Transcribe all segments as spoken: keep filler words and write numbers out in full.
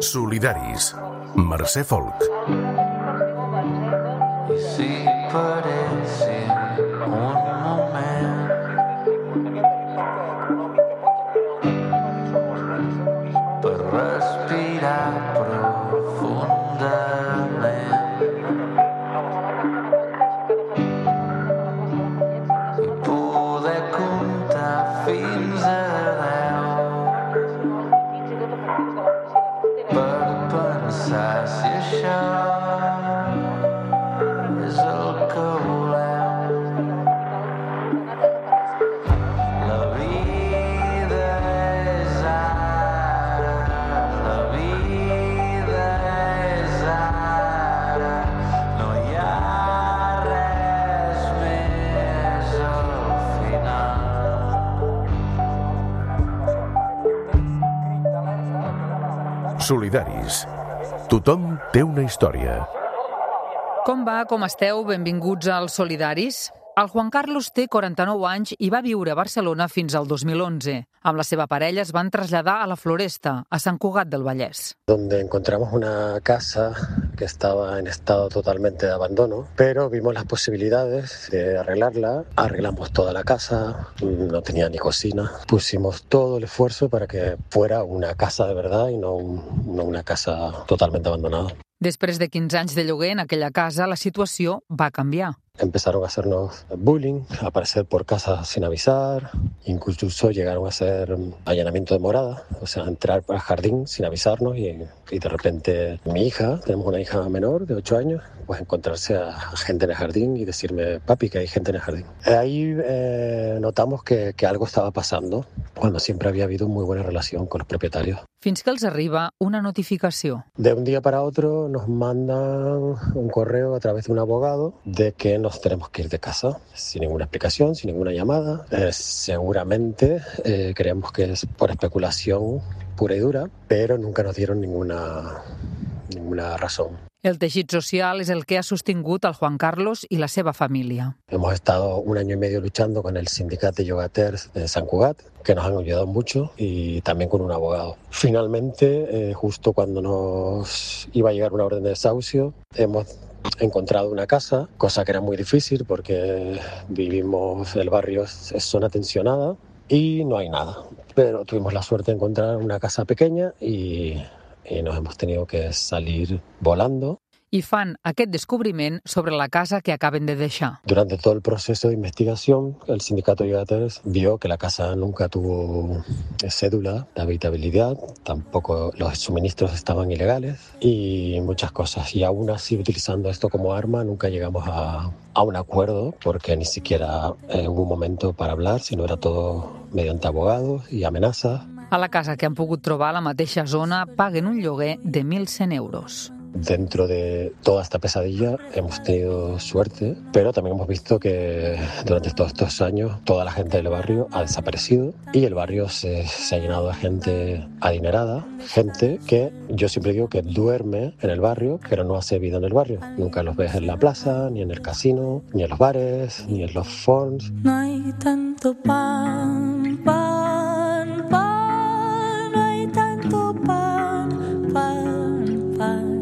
Solidaris. Mercè Folk. I si paressin un moment per respirar profundament i poder comptar fins a deu per pensar si això és el que volem. La vida és ara, la vida és ara, no hi ha res més al final. Solidaris. Tothom té una història. Com va? Com esteu? Benvinguts als Solidaris. El Juan Carlos té quaranta-nou anys i va viure a Barcelona fins al dos mil onze. Amb la seva parella es van traslladar a la Floresta, a Sant Cugat del Vallès. Donde encontramos una casa que estaba en estado totalmente de abandono, pero vimos las posibilidades de arreglarla. Arreglamos toda la casa, no tenía ni cocina. Pusimos todo el esfuerzo para que fuera una casa de verdad y no, un, no una casa totalmente abandonada. Després de quinze anys de lloguer en aquella casa, la situació va canviar. Empezaron a hacernos bullying, a aparecer por casa sin avisar, incluso llegaron a hacer allanamiento de morada, o sea, entrar al jardín sin avisarnos y, y de repente mi hija, tenemos una hija menor de ocho años, pues encontrarse a gente en el jardín y decirme, papi, que hay gente en el jardín. Ahí eh, notamos que, que algo estaba pasando, cuando siempre había habido muy buena relación con los propietarios. Fins que els arriba una notificació. De un día para otro nos mandan un correo a través de un abogado de que nos tenemos que ir de casa, sin ninguna explicación, sin ninguna llamada. Eh, seguramente eh, creemos que es por especulación pura y dura, pero nunca nos dieron ninguna, ninguna razón. El teixit social és el que ha sostingut el Juan Carlos i la seva família. Hemos estado un año y medio luchando con el sindicato de Llogaters de Sant Cugat, que nos han ayudado mucho, y también con un abogado. Finalmente, eh, justo cuando nos iba a llegar una orden de desahucio, hemos encontrado una casa, cosa que era muy difícil porque vivimos, el barrio es zona tensionada y no hay nada. Pero tuvimos la suerte de encontrar una casa pequeña y, y nos hemos tenido que salir volando. I fan aquest descobriment sobre la casa que acaben de deixar. Durante todo el proceso de investigación, el sindicato de Llogaters vio que la casa nunca tuvo cédula de habitabilidad, tampoco los suministros estaban ilegales y muchas cosas. Y aún así, utilizando esto como arma, nunca llegamos a, a un acuerdo porque ni siquiera eh, hubo un momento para hablar, sino era todo mediante abogados y amenazas. A la casa que han pogut trobar a la mateixa zona paguen un lloguer de mil cent euros. Dentro de toda esta pesadilla hemos tenido suerte, pero también hemos visto que durante todos estos años toda la gente del barrio ha desaparecido y el barrio se, se ha llenado de gente adinerada, gente que yo siempre digo que duerme en el barrio, pero no hace vida en el barrio. Nunca los ves en la plaza, ni en el casino, ni en los bares, ni en los fondos. No hay tanto pan, pan, pan, no hay tanto pan, pan, pan.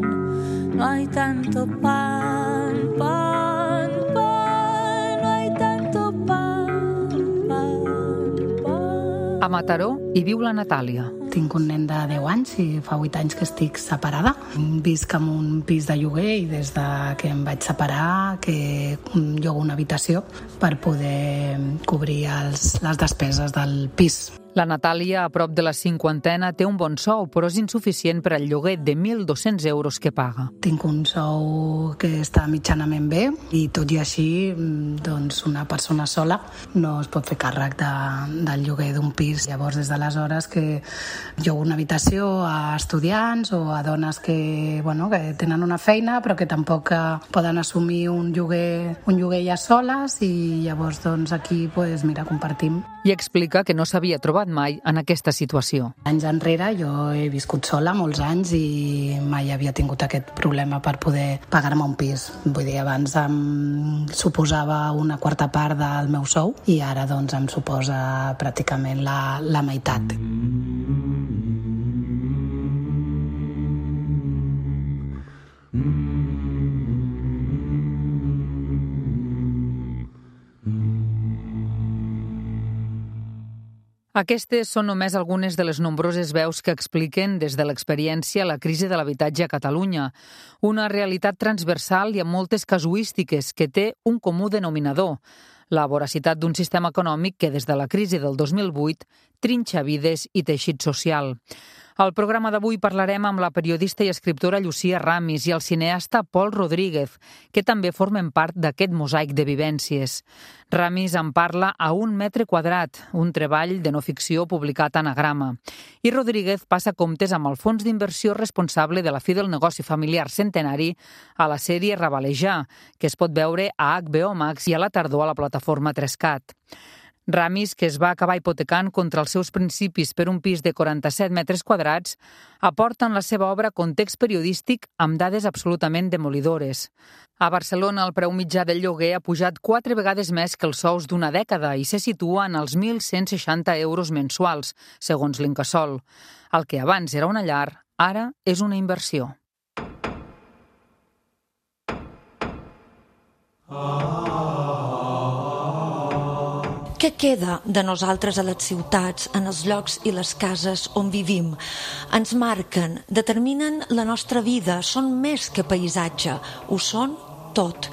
No hay tanto pan, pan, pan, no hay tanto pan, pan, pan. A Mataró hi viu la Natàlia. Tinc un nen de deu anys i fa vuit anys que estic separada. Visc en un pis de lloguer i des de que em vaig separar que llogo una habitació per poder cobrir els, les despeses del pis. La Natàlia, a prop de la cinquantena, té un bon sou, però és insuficient per al lloguer de mil dos-cents euros que paga. Tinc un sou que està mitjanament bé i tot i així doncs una persona sola no es pot fer càrrec de, del lloguer d'un pis. Llavors, des d'aleshores que llogo una habitació a estudiants o a dones que, bueno, que tenen una feina però que tampoc poden assumir un lloguer, un lloguer ja soles i llavors doncs, aquí pues, mira, compartim. I explica que no s'havia trobat trobat mai en aquesta situació. Anys enrere jo he viscut sola molts anys i mai havia tingut aquest problema per poder pagar-me un pis. Vull dir, abans em suposava una quarta part del meu sou i ara doncs em suposa pràcticament la, la meitat. Aquestes són només algunes de les nombroses veus que expliquen des de l'experiència la crisi de l'habitatge a Catalunya, una realitat transversal i amb moltes casuístiques que té un comú denominador, la voracitat d'un sistema econòmic que des de la crisi del dos mil vuit trinxa vides i teixit social. Al programa d'avui parlarem amb la periodista i escriptora Llucia Ramis i el cineasta Pol Rodríguez, que també formen part d'aquest mosaic de vivències. Ramis en parla a un metre quadrat, un treball de no ficció publicat a Anagrama. I Rodríguez passa comptes amb el fons d'inversió responsable de la fi del negoci familiar centenari a la sèrie Rabalejar, que es pot veure a H B O Max i a la tardor a la plataforma Trescat. Ramis, que es va acabar hipotecant contra els seus principis per un pis de quaranta-set metres quadrats, aporta en la seva obra context periodístic amb dades absolutament demolidores. A Barcelona, el preu mitjà del lloguer ha pujat quatre vegades més que els sous d'una dècada i se situa en els mil cent seixanta euros mensuals, segons l'Incasòl. El que abans era una llar, ara és una inversió. Què queda de nosaltres a les ciutats, en els llocs i les cases on vivim? Ens marquen, determinen la nostra vida, són més que paisatge, ho són tot.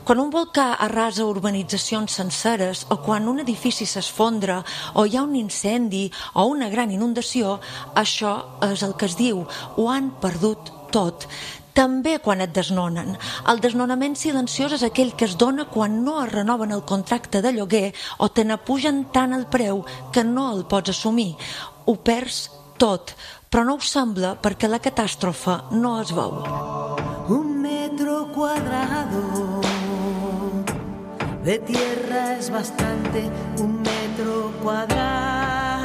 Quan un volcà arrasa urbanitzacions senceres o quan un edifici s'esfondra o hi ha un incendi o una gran inundació, això és el que es diu, ho han perdut tot. També quan et desnonen. El desnonament silenciós és aquell que es dona quan no es renoven el contracte de lloguer o te n'apugen tant el preu que no el pots assumir. Ho perds tot, però no ho sembla perquè la catàstrofe no es veu. Un metro cuadrado de tierra es bastante, un metro cuadrado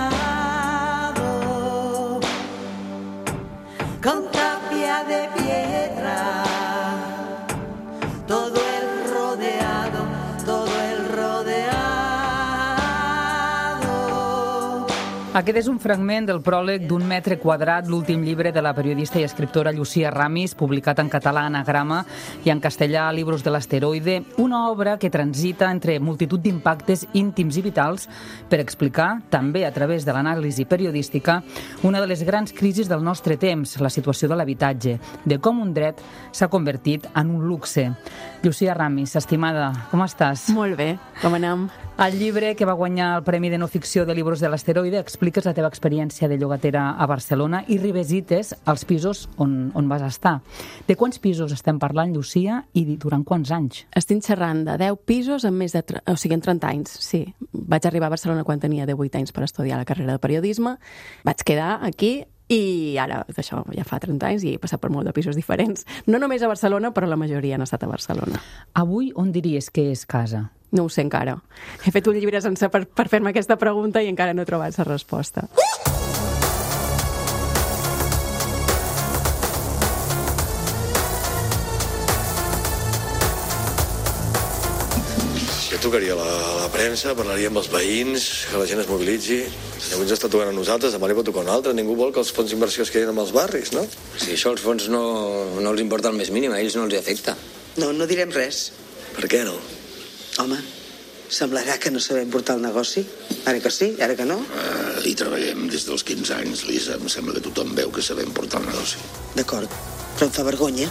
con tapia de piedra, todo el rodeado, todo el rodeado. Aquest és un fragment del pròleg d'Un metre quadrat, l'últim llibre de la periodista i escriptora Llucia Ramis, publicat en català a Anagrama i en castellà a Libros de l'Asteroide, una obra que transita entre multitud d'impactes íntims i vitals per explicar, també a través de l'anàlisi periodística, una de les grans crisis del nostre temps, la situació de l'habitatge, de com un dret s'ha convertit en un luxe. Llucia Ramis, estimada, com estàs? Molt bé, com anem? Al llibre que va guanyar el Premi de No Ficció de Libros de l'Asteroide expliques la teva experiència de llogatera a Barcelona i revisites els pisos on, on vas estar. De quants pisos estem parlant, Llucia, i durant quants anys? Estic xerrant de deu pisos en més de... O sigui, en trenta anys, sí. Vaig arribar a Barcelona quan tenia divuit anys per estudiar la carrera de periodisme. Vaig quedar aquí i ara, d'això, ja fa trenta anys i he passat per molt de pisos diferents. No només a Barcelona, però la majoria han estat a Barcelona. Avui, on diries que és casa? No ho sé encara. He fet un llibre sencer per, per fer-me aquesta pregunta i encara no he trobat la resposta. Jo trucaria a la, a la premsa, parlaria amb els veïns, que la gent es mobilitzi. Si avui ens està tocant a nosaltres, demà li pot tocar a un altre. Ningú vol que els fons d'inversió es quedin amb els barris, no? Si això als fons no, no els importa el més mínim, a ells no els afecta. No, no direm res. Per què no? Home, semblarà que no sabem portar el negoci. Ara que sí, ara que no. Uh, hi treballem des dels quinze anys, Lisa. Em sembla que tothom veu que sabem portar el negoci. D'acord, però em fa vergonya.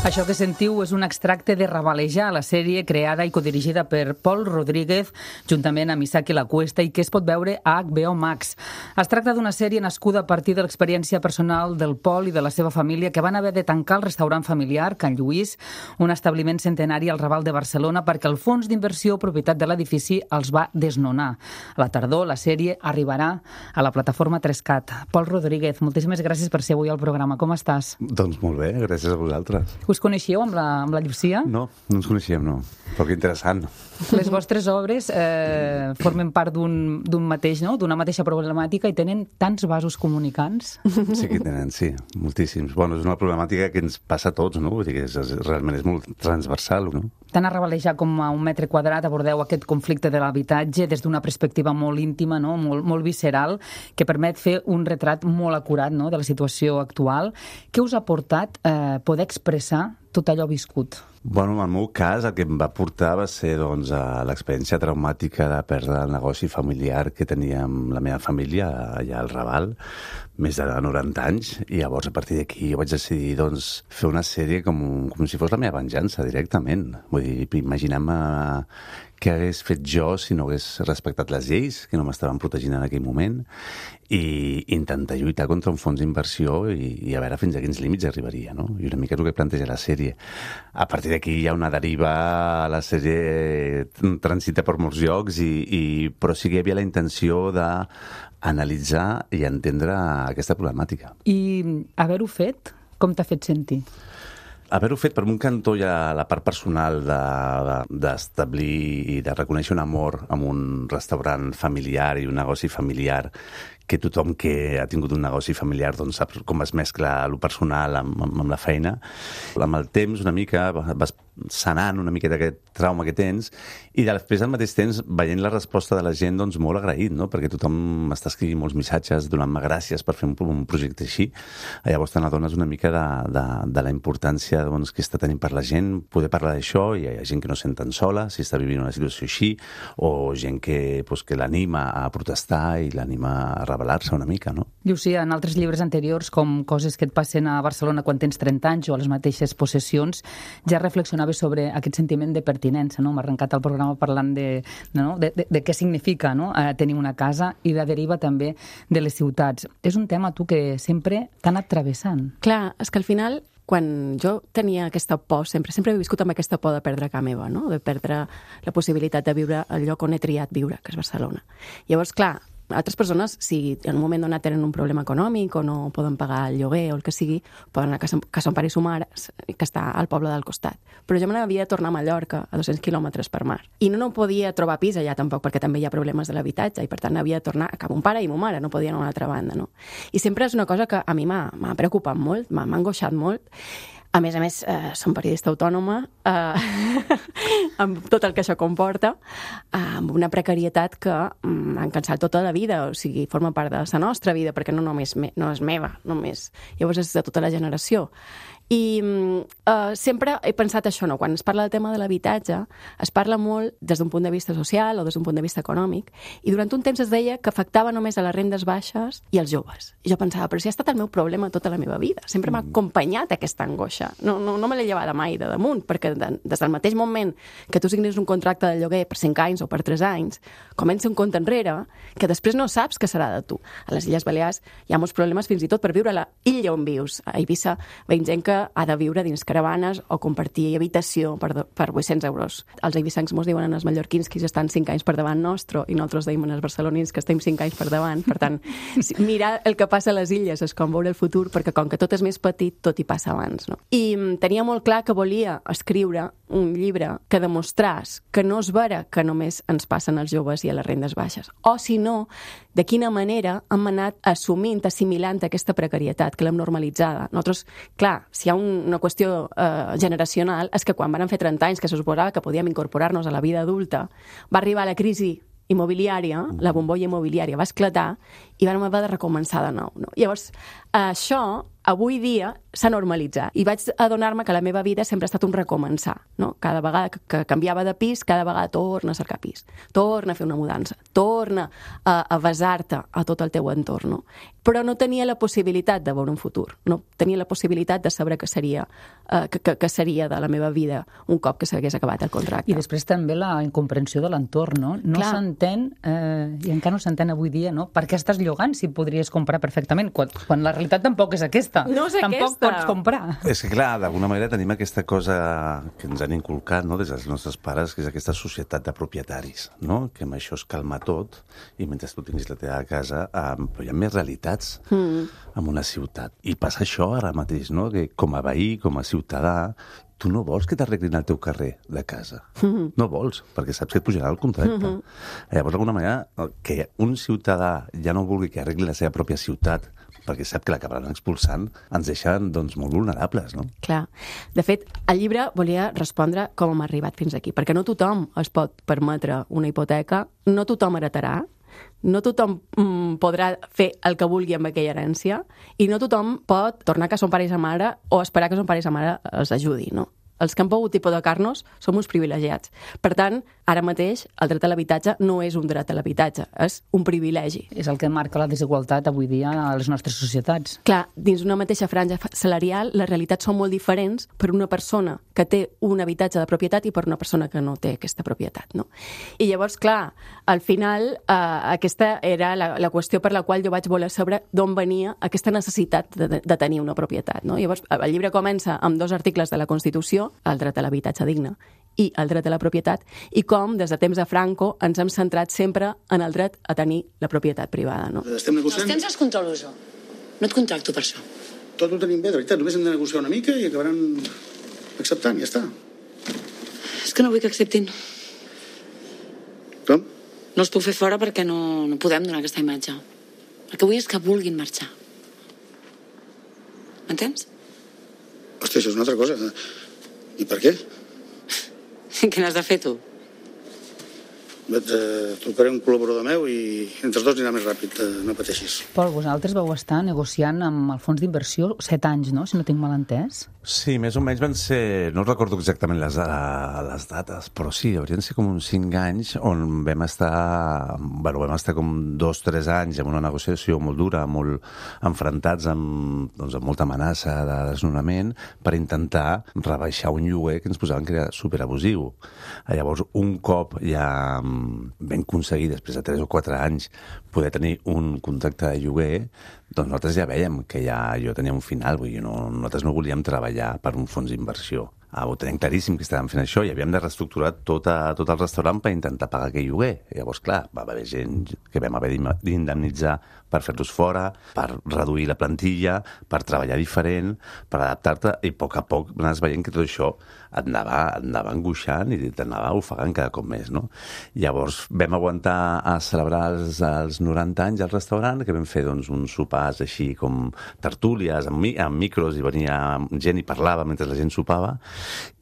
Això que sentiu és un extracte de Rabalejar, la sèrie creada i codirigida per Pol Rodríguez, juntament amb Isaki Lacuesta, i que es pot veure a H B O Max. Es tracta d'una sèrie nascuda a partir de l'experiència personal del Pol i de la seva família, que van haver de tancar el restaurant familiar Can Lluís, un establiment centenari al Raval de Barcelona, perquè el fons d'inversió propietat de l'edifici els va desnonar. A la tardor, la sèrie arribarà a la plataforma Trescat. Pol Rodríguez, moltíssimes gràcies per ser avui al programa. Com estàs? Doncs molt bé, gràcies a vosaltres. Us coneixíeu amb la, amb la Llucia? No, no ens coneixíem, no. Però que interessant. Les vostres obres eh, formen part d'un mateix, no? D'una mateixa problemàtica i tenen tants vasos comunicants. Sí que tenen, sí, moltíssims. Bueno, és una problemàtica que ens passa a tots, no? Vull dir que és, és, realment és molt transversal, no? Tant a Rabalejar com a un metre quadrat abordeu aquest conflicte de l'habitatge des d'una perspectiva molt íntima, no? molt, molt visceral, que permet fer un retrat molt acurat, no? De la situació actual. Què us ha portat eh, poder expressar tot allò viscut? Bueno, en el meu cas, el que em va portar va ser doncs, l'experiència traumàtica de perdre el negoci familiar que tenia amb la meva família allà al Raval, més de noranta anys, i llavors a partir d'aquí vaig decidir doncs, fer una sèrie com, com si fos la meva venjança directament. Vull dir, imaginem-me què hagués fet jo si no hagués respectat les lleis, que no m'estaven protegint en aquell moment, i intentar lluitar contra un fons d'inversió i, i a veure fins a quins límits arribaria, no? I una mica és el que planteja la sèrie. A partir d'aquí hi ha una deriva, la sèrie transita per molts llocs, i, i, però sí que hi havia la intenció d'analitzar i entendre aquesta problemàtica. I haver-ho fet, com t'ha fet sentir? Haver-ho fet, per un cantó, hi ha la part personal d'establir de, de, i de reconèixer un amor amb un restaurant familiar i un negoci familiar, que tothom que ha tingut un negoci familiar doncs, sap com es mescla lo personal amb, amb, amb la feina. Amb el temps, una mica, vas sanant una miqueta aquest trauma que tens, i després, al mateix temps, veient la resposta de la gent, doncs, molt agraït, no? Perquè tothom m'està escrivint molts missatges donant-me gràcies per fer un, un projecte així. Llavors te n'adones una mica de, de, de la importància doncs, que està tenint per la gent poder parlar d'això, i hi ha gent que no sent tan sola si està vivint una situació així, o gent que, doncs, que l'anima a protestar i l'anima a revelar-se una mica, no? Llucia, en altres llibres anteriors, com Coses que et passen a Barcelona quan tens trenta anys o a les mateixes possessions, ja reflexionaves sobre aquest sentiment de pertinença, no? M'ha arrencat el programa parlant de, no? de, de, de què significa, no? eh, tenir una casa, i la deriva també de les ciutats. És un tema, tu, que sempre t'ha anat travessant. Clar, és que al final, quan jo tenia aquesta por, sempre sempre he viscut amb aquesta por de perdre casa meva, no? De perdre la possibilitat de viure al lloc on he triat viure, que és Barcelona. Llavors, clar, altres persones, si en un moment donat tenen un problema econòmic o no poden pagar el lloguer o el que sigui, poden anar a casa, casa on pare i sa mare, que està al poble del costat. Però jo me n'havia de tornar a Mallorca, a dos-cents quilòmetres per mar. I no, no podia trobar pis allà tampoc, perquè també hi ha problemes de l'habitatge, i per tant havia de tornar a cap un pare i ma mare, no podia anar a una altra banda, no? I sempre és una cosa que a mi m'ha preocupat molt, m'ha angoixat molt. A més a més, eh, som periodista autònoma, eh, amb tot el que això comporta, eh, amb una precarietat que m'ha cansat tota la vida, o sigui, forma part de la nostra vida, perquè no només me, no és meva, només. Llavors és de tota la generació. I eh, sempre he pensat això, no? Quan es parla del tema de l'habitatge, es parla molt des d'un punt de vista social o des d'un punt de vista econòmic, i durant un temps es deia que afectava només a les rendes baixes i als joves. I jo pensava, però si ha estat el meu problema tota la meva vida, sempre m'ha acompanyat aquesta angoixa. No, no, no me l'he llevada mai de damunt, perquè de, des del mateix moment que tu signes un contracte de lloguer per cinc anys o per tres anys, comença un compte enrere que després no saps què serà de tu. A les Illes Balears hi ha molts problemes fins i tot per viure a la illa on vius. A Eivissa veiem gent que ha de viure dins caravanes o compartir habitació per, per vuit-cents euros. Els eivissancs mos diuen als mallorquins que estan cinc anys per davant nostre, i nosaltres deim als barcelonins que estem cinc anys per davant. Per tant, mirar el que passa a les illes és com veure el futur, perquè com que tot és més petit, tot hi passa abans, no? I tenia molt clar que volia escriure un llibre que demostràs que no és vera que només ens passen als joves i a les rendes baixes, o si no, de quina manera hem anat assumint, assimilant aquesta precarietat, que l'hem normalitzada. Nosaltres, clar, si hi ha un, una qüestió eh, generacional, és que quan van fer trenta anys, que se suposava que podíem incorporar-nos a la vida adulta, va arribar la crisi immobiliària, la bombolla immobiliària va esclatar i vam haver de recomençar de nou, no? Llavors, això avui dia s'ha normalitzat i vaig adonar-me que la meva vida sempre ha estat un recomençar, no? Cada vegada que canviava de pis, cada vegada torna a cercar pis, torna a fer una mudança, torna a, a basar-te a tot el teu entorn, no? Però no tenia la possibilitat de veure un futur, no tenia la possibilitat de saber que seria, eh, que, que, que seria de la meva vida un cop que s'hagués acabat el contracte. I després també la incomprensió de l'entorn, no? No s'entén, eh, i encara no s'entén avui dia, no? Per què estàs llogant si podries comprar perfectament, quan, quan la realitat tampoc és aquesta. aquesta. No és Tampoc aquesta. pots comprar. És que, clar, d'alguna manera tenim aquesta cosa que ens han inculcat, no?, des dels nostres pares, que és aquesta societat de propietaris, no?, que amb això es calma tot i mentre tu tinguis la teva casa, eh, però hi ha més realitats Mm. en una ciutat. I passa això ara mateix, no?, que com a veí, com a ciutadà, tu no vols que t'arreglin el teu carrer de casa. Mm. No vols, perquè saps que et pujarà el contracte. Mhm. Llavors, d'alguna manera, que un ciutadà ja no vulgui que arregli la seva pròpia ciutat perquè sap que l'acabaran expulsant, ens deixen doncs, molt vulnerables, no? Clar. De fet, el llibre volia respondre com hem arribat fins aquí, perquè no tothom es pot permetre una hipoteca, no tothom heretarà, no tothom mm, podrà fer el que vulgui amb aquella herència i no tothom pot tornar que son pare i sa mare o esperar que son pare i sa mare els ajudi, no? Els que han pogut hipotecar-nos som uns privilegiats. Per tant, ara mateix, el dret a l'habitatge no és un dret a l'habitatge, és un privilegi. És el que marca la desigualtat avui dia a les nostres societats. Clar, dins una mateixa franja salarial, les realitats són molt diferents per una persona que té un habitatge de propietat i per una persona que no té aquesta propietat, no? I llavors, clar, al final, eh, aquesta era la, la qüestió per la qual jo vaig voler saber d'on venia aquesta necessitat de, de tenir una propietat, no? Llavors, el llibre comença amb dos articles de la Constitució, el dret a l'habitatge digne i el dret a la propietat, i com, des de temps de Franco, ens hem centrat sempre en el dret a tenir la propietat privada, no? Estem negociant... Els temps els controlo jo. No et contracto per això. Tot ho tenim bé, de veritat. Només hem de negociar una mica i acabaran acceptant, ja està. És que no vull que acceptin. Com? No els puc fer fora perquè no, no podem donar aquesta imatge. El que vull és que vulguin marxar. M'entens? Hòstia, això és una altra cosa. I per què? Què n'has de fer, tu? Et eh, trucaré un col·laborador meu i entre els dos anirà més ràpid, eh, no pateixis. Pol, vosaltres vau estar negociant amb el fons d'inversió set anys, no?, si no tinc mal entès. Sí, més o menys van ser... No recordo exactament les, les dates, però sí, haurien de ser com uns cinc anys on vam estar... Bueno, vam estar com dos, tres anys en una negociació molt dura, molt enfrontats amb, doncs, amb molta amenaça de desnonament per intentar rebaixar un lloguer que ens posaven que era superabusiu. Llavors, un cop ja vam aconseguir, després de tres o quatre anys, poder tenir un contracte de lloguer, doncs nosaltres ja veiem que ja jo tenia un final, vull dir, no, nosaltres no volíem treballar per un fons d'inversió. Ah, ho tenim claríssim que estàvem fent això i havíem de reestructurar tot, a, tot el restaurant per intentar pagar aquell lloguer. I llavors, clar, va haver gent que vam haver d'indemnitzar per fer-los fora, per reduir la plantilla, per treballar diferent, per adaptar-te, i a poc a poc anaves veient que tot això et anava, et anava angoixant i t'anava ofegant cada cop més, no? Llavors vam aguantar a celebrar els, els noranta anys al restaurant, que vam fer doncs, uns sopars així com tertúlies, amb, mi, amb micros, i venia gent i parlava mentre la gent sopava,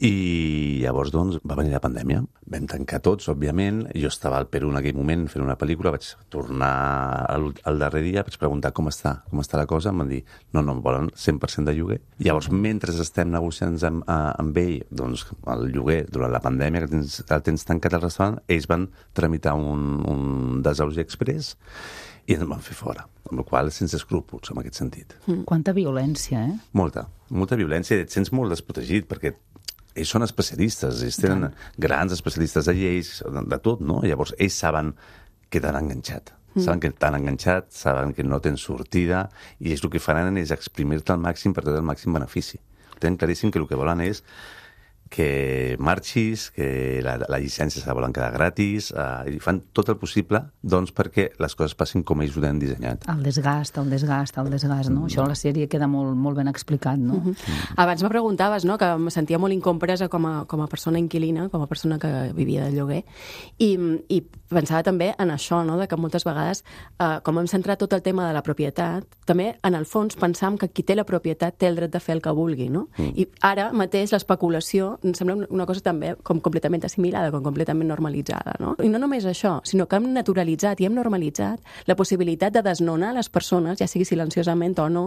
i llavors doncs va venir la pandèmia. Vam tancar tots, òbviament. Jo estava al Perú en aquell moment fent una pel·lícula, vaig tornar al, al darrer dia, vaig preguntar com està, com està la cosa, em van dir, no, no, em volen cent per cent de lloguer. Llavors, mentre estem negociant amb, amb ell, doncs, el lloguer durant la pandèmia, que tens, el tens tancat al restaurant, ells van tramitar un, un desausi express i ens van fer fora, amb la qual cosa sense escrúpols, en aquest sentit. Mm. Quanta violència, eh? Molta, molta violència, et sents molt desprotegit, perquè ells són especialistes, ells tenen grans especialistes de lleis, de, de tot, no? Llavors, ells saben que t'han enganxat. Mm. Saben que t'han enganxat, saben que no tens sortida, i ells el que faran és exprimir-te al màxim per treure el màxim benefici. Tenen claríssim que el que volen és que marxis, que la, la llicència se la volen quedar gratis, eh, i fan tot el possible doncs, perquè les coses passin com ells ho tenen dissenyat. El desgast, el desgast, el desgast, no? Mm. Això a la sèrie queda molt, molt ben explicat, no? Mm -hmm. mm. Abans me preguntaves, no?, que em sentia molt incompresa com a, com a persona inquilina, com a persona que vivia de lloguer, i, i pensava també en això, no?, de que moltes vegades, eh, com hem centrat tot el tema de la propietat, també, en el fons, pensam que qui té la propietat té el dret de fer el que vulgui, no? Mm. I ara mateix l'especulació em sembla una cosa també com completament assimilada, com completament normalitzada, no? I no només això, sinó que hem naturalitzat i hem normalitzat la possibilitat de desnonar les persones, ja sigui silenciosament o no,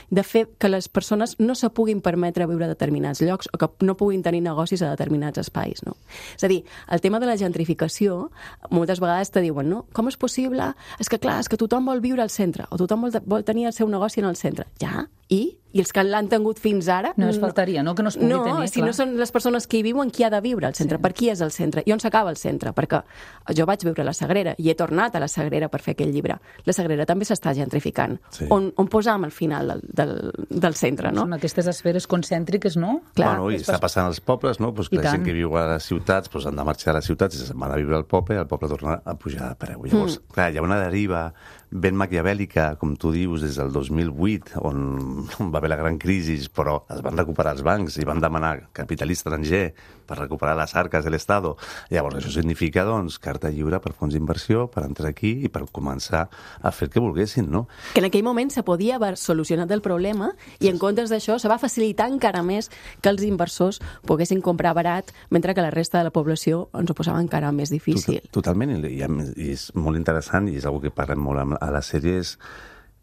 de fer que les persones no se puguin permetre viure a determinats llocs o que no puguin tenir negocis a determinats espais, no? És a dir, el tema de la gentrificació, moltes vegades te diuen, no? Com és possible? És que clar, és que tothom vol viure al centre o tothom vol, vol tenir el seu negoci en el centre. Ja? I? i els que l'han tingut fins ara... No es faltaria, no? Que no es pugui no, tenir, No, si clar. no són les persones que hi viuen, qui ha de viure al centre? Sí. Per qui és el centre? I on s'acaba el centre? Perquè jo vaig viure a la Sagrera i he tornat a la Sagrera per fer aquell llibre. La Sagrera també s'està gentrificant. Sí. On, on posam al final del, del, del centre, no? Són aquestes esferes concèntriques, no? Clar. Bueno, i està passant als pobles, no? Pues que la gent que viu a les ciutats pues han de marxar a les ciutats i se'n van a viure al poble i el poble torna a pujar de preu. Llavors, mm. clar, hi ha una deriva ben maquiavèlica, com tu dius, des del dos mil vuit, on va haver la gran crisi, però es van recuperar els bancs i van demanar capital estranger per recuperar les arques de l'Estado. Llavors, això significa, doncs, carta lliure per fons d'inversió, per entrar aquí i per començar a fer el que volguessin, no? Que en aquell moment se podia haver solucionat el problema i en comptes d'això se va facilitar encara més que els inversors poguessin comprar barat, mentre que la resta de la població ens ho posava encara més difícil. Totalment, i, i és molt interessant i és una que parlem molt a la sèrie, és,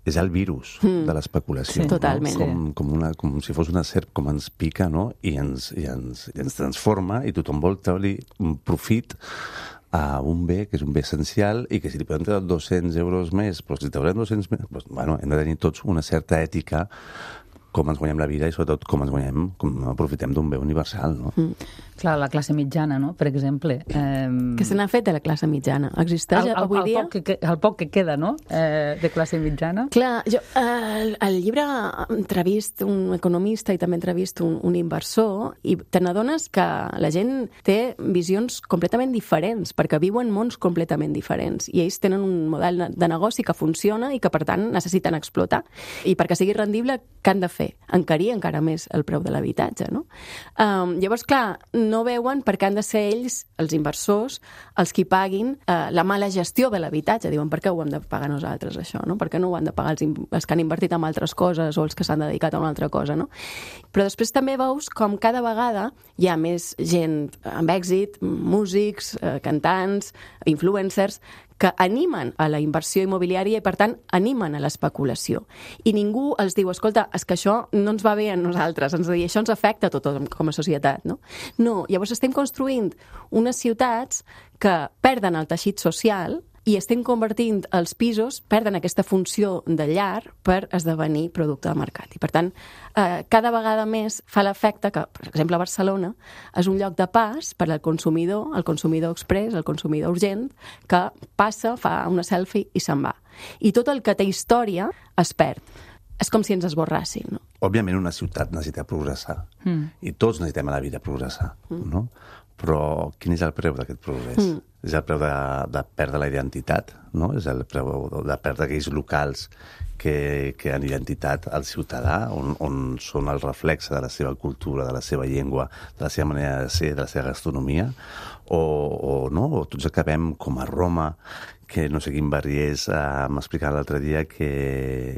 és el virus mm. de l'especulació. Sí, totalment. No? Com, com, una, com si fos una serp, com ens pica, no? I ens, i ens, i ens transforma i tothom vol treure un profit a un bé que és un bé essencial i que si li podem treure dos-cents euros més, però si traurem dos-cents més, doncs, bueno, hem de tenir tots una certa ètica com ens guanyem la vida i sobretot com ens guanyem, com aprofitem d'un bé universal, no? Mm. Clar, la classe mitjana, no?, per exemple. Eh... Què se n'ha fet de la classe mitjana? Existeix el, el, avui el dia? Poc que, el poc que queda, no?, eh, de classe mitjana. Clar, jo, eh, el llibre entrevist un economista i també entrevist un, un inversor i te n'adones que la gent té visions completament diferents, perquè viuen mons completament diferents i ells tenen un model de negoci que funciona i que, per tant, necessiten explotar. I perquè sigui rendible, què han de fer? Encarir encara més el preu de l'habitatge, no? Um, llavors, clar, no veuen perquè han de ser ells, els inversors, els qui paguin uh, la mala gestió de l'habitatge. Diuen, per què ho hem de pagar nosaltres, això, no? Per què no ho han de pagar els, els que han invertit en altres coses o els que s'han dedicat a una altra cosa, no? Però després també veus com cada vegada hi ha més gent amb èxit, músics, uh, cantants, influencers, que animen a la inversió immobiliària i, per tant, animen a l'especulació. I ningú els diu, escolta, és que això no ens va bé a nosaltres, ens dir, això ens afecta a tothom com a societat, no? No, llavors estem construint unes ciutats que perden el teixit social i estem convertint els pisos, perden aquesta funció de llar per esdevenir producte de mercat. I, per tant, eh, cada vegada més fa l'efecte que, per exemple, a Barcelona és un lloc de pas per al consumidor, el consumidor express, el consumidor urgent, que passa, fa una selfie i se'n va. I tot el que té història es perd. És com si ens esborrassin, no? Òbviament, una ciutat necessita progressar. Mm. I tots necessitem a la vida progressar, mm. no? Però quin és el preu d'aquest progrés? Mm. És el preu de, de perdre la identitat, no? És el preu de perdre aquells locals que, que han identitat al ciutadà, on, on són el reflexe de la seva cultura, de la seva llengua, de la seva manera de ser, de la seva gastronomia, o, o no? O tots acabem com a Roma, que no sé quin barri és, eh, m'explicava l'altre dia que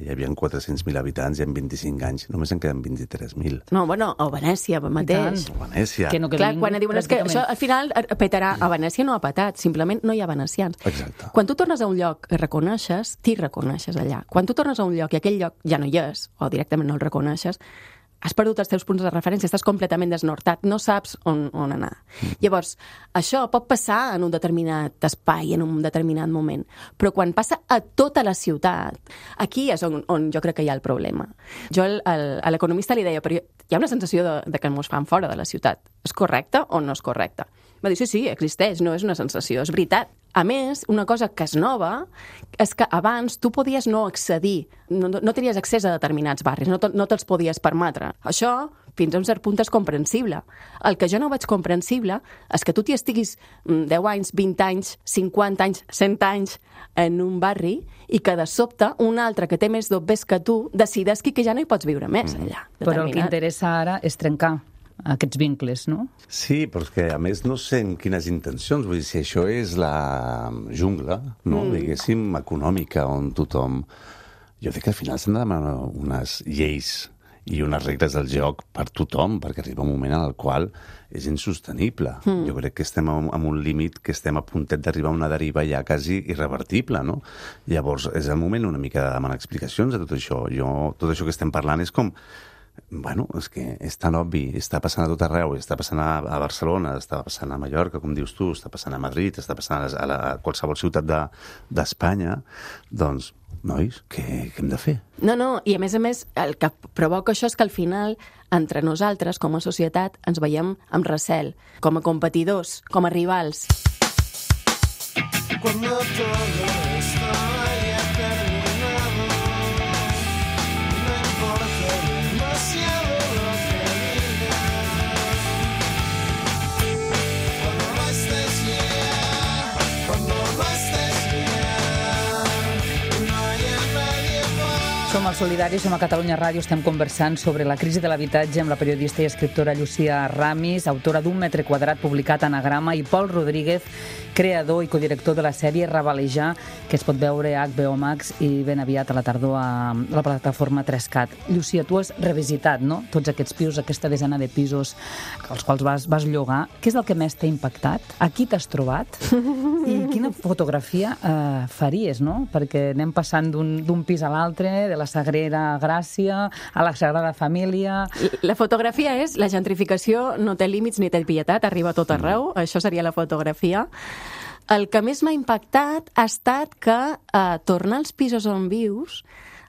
hi havia quatre-cents mil habitants i en vint-i-cinc anys només en queden vint-i-tres mil. No, bueno, o Venècia mateix. O Venècia. Que no Clar, quan diuen és que això al final petarà, a Venècia no ha patat, simplement no hi ha venecians. Exacte. Quan tu tornes a un lloc que reconeixes, t'hi reconeixes allà. Quan tu tornes a un lloc i aquell lloc ja no hi és, o directament no el reconeixes, has perdut els teus punts de referència, estàs completament desnortat, no saps on, on anar. Mm. Llavors, això pot passar en un determinat espai, en un determinat moment, però quan passa a tota la ciutat, aquí és on, on jo crec que hi ha el problema. Jo el, el, a l'economista li deia, però hi ha una sensació de, de que ens fan fora de la ciutat. És correcte o no és correcte? Va dir, sí, sí, existeix, no és una sensació, és veritat. A més, una cosa que és nova és que abans tu podies no accedir, no, no tenies accés a determinats barris, no, no te'ls podies permetre. Això, fins a un cert punt, és comprensible. El que jo no veig comprensible és que tu t'hi estiguis deu anys, vint anys, cinquanta anys, cent anys en un barri i que de sobte un altre que té més dobbers que tu decidesqui que ja no hi pots viure més allà. Però el que interessa ara és trencar aquests vincles, no? Sí, però és que a més no sé en quines intencions, vull dir, si això és la jungla, no? Mm. Diguéssim, econòmica, on tothom... Jo crec que al final s'han de demanar unes lleis i unes regles del joc per tothom, perquè arriba un moment en el qual és insostenible. Mm. Jo crec que estem en un límit, que estem a puntet d'arribar a una deriva ja quasi irrevertible, no? Llavors, és el moment una mica de demanar explicacions a tot això. Jo, tot això que estem parlant és com... Bueno, és que és tan obvi, està passant a tot arreu, està passant a, a Barcelona, està passant a Mallorca, com dius tu, està passant a Madrid, està passant a, la, a qualsevol ciutat de, d'Espanya, doncs nois, què, què hem de fer? No, no, i a més a més, el que provoca això és que al final, entre nosaltres, com a societat, ens veiem amb recel, com a competidors, com a rivals. Cuando todo esto haya terminado, no importa demasiado lo que digas. Cuando no estés ya, cuando no estés ya, no haya nadie más. Som als Solidaris, som a Catalunya Ràdio, estem conversant sobre la crisi de l'habitatge amb la periodista i escriptora Llucia Ramis, autora d'un metre quadrat publicat a Anagrama, i Pol Rodríguez, creador i codirector de la sèrie Ravalejar, que es pot veure a H B O Max i ben aviat a la tardor a la plataforma tres cat. Llucia, tu has revisitat, no?, tots aquests pisos, aquesta desena de pisos als quals vas, vas llogar. Què és el que més t'ha impactat? A qui t'has trobat? I quina fotografia eh, faries, no? Perquè anem passant d'un pis a l'altre, de la Sagrera Gràcia a la Sagrada Família... La fotografia és, la gentrificació no té límits ni té pietat, arriba a tot arreu, mm. Això seria la fotografia. El que més m'ha impactat ha estat que eh, tornar als pisos on vius,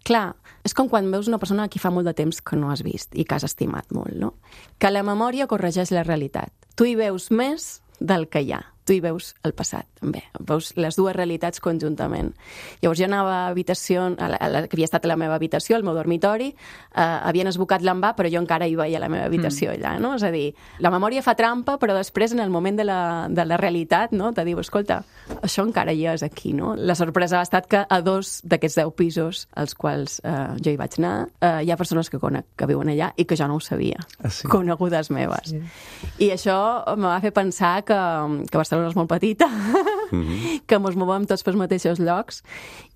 clar, és com quan veus una persona a qui fa molt de temps que no has vist i que has estimat molt, no? Que la memòria corregeix la realitat. Tu hi veus més del que hi ha. Tu hi veus el passat, també. Veus les dues realitats conjuntament. Llavors jo anava a habitació, a la, a la, que havia estat a la meva habitació, al meu dormitori, eh, havien esbocat l'envà, però jo encara hi veia la meva habitació mm. allà, no? És a dir, la memòria fa trampa, però després, en el moment de la, de la realitat, no?, te diu, escolta, això encara hi és aquí, no? La sorpresa ha estat que a dos d'aquests deu pisos als quals eh, jo hi vaig anar, eh, hi ha persones que conec que viuen allà i que jo no ho sabia, ah, sí? Conegudes meves. Sí. I això em va fer pensar que, que Barcelona és molt petita, mm-hmm. que mos movem tots pels mateixos llocs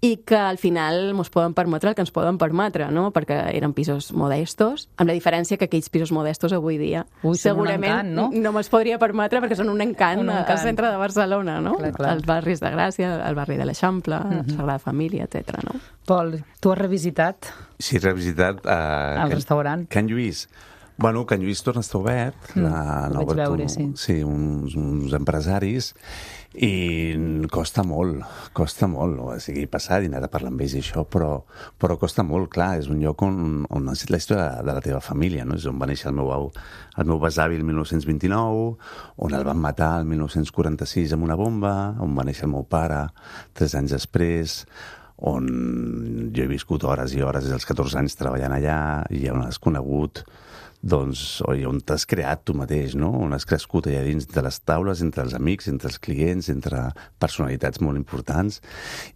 i que al final mos poden permetre el que ens poden permetre, no? Perquè eren pisos modestos, amb la diferència que aquells pisos modestos avui dia Ui, segurament encant, no? no me'ls podria permetre perquè són un encant, un encant. Al centre de Barcelona, no? Clar, clar. Els barris de Gràcia, el barri de l'Eixample, mm-hmm. Sagrada Família, etcètera. No? Pol, tu has revisitat? Sí, he revisitat... Uh, el Can, restaurant? Can Lluís. Bueno, Can Lluís torna a estar obert. Mm, la, ho vaig veure, sí. Sí, uns, uns empresaris, i costa molt, costa molt. O sigui, he passat i he anat a parlar amb ells i això, però, però costa molt, clar. És un lloc on, on has la història de la teva família, no? És on va néixer el meu, el meu besavi el mil nou-cents vint-i-nou, on el van matar el mil nou-cents quaranta-sis amb una bomba, on va néixer el meu pare tres anys després, on jo he viscut hores i hores des dels catorze anys treballant allà, i on has conegut, doncs, oi, on t'has creat tu mateix, no? On has crescut allà dins de les taules, entre els amics, entre els clients, entre personalitats molt importants,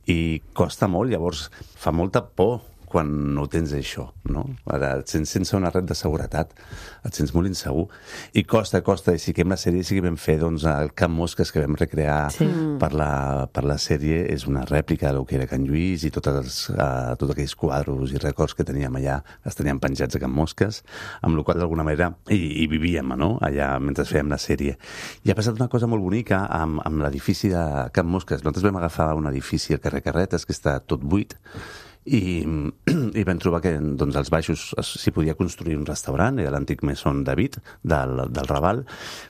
i costa molt, llavors fa molta por quan no tens això, no? Ara et sents sense una red de seguretat, et sents molt insegur, i costa, costa, i sí que amb la sèrie sí que vam fer, doncs, el Camp Mosques que vam recrear sí. per, la, per la sèrie és una rèplica del que era Can Lluís, i tots, els, uh, tots aquells quadros i records que teníem allà els teníem penjats a Camp Mosques, amb la qual d'alguna manera hi, hi vivíem, no?, allà mentre fèiem la sèrie. I ha passat una cosa molt bonica amb, amb l'edifici de Camp Mosques. Nosaltres vam agafar un edifici al carrer Carretes que està tot buit, i, i vam trobar que doncs, als baixos s'hi podia construir un restaurant, era l'antic Maison David del, del Raval,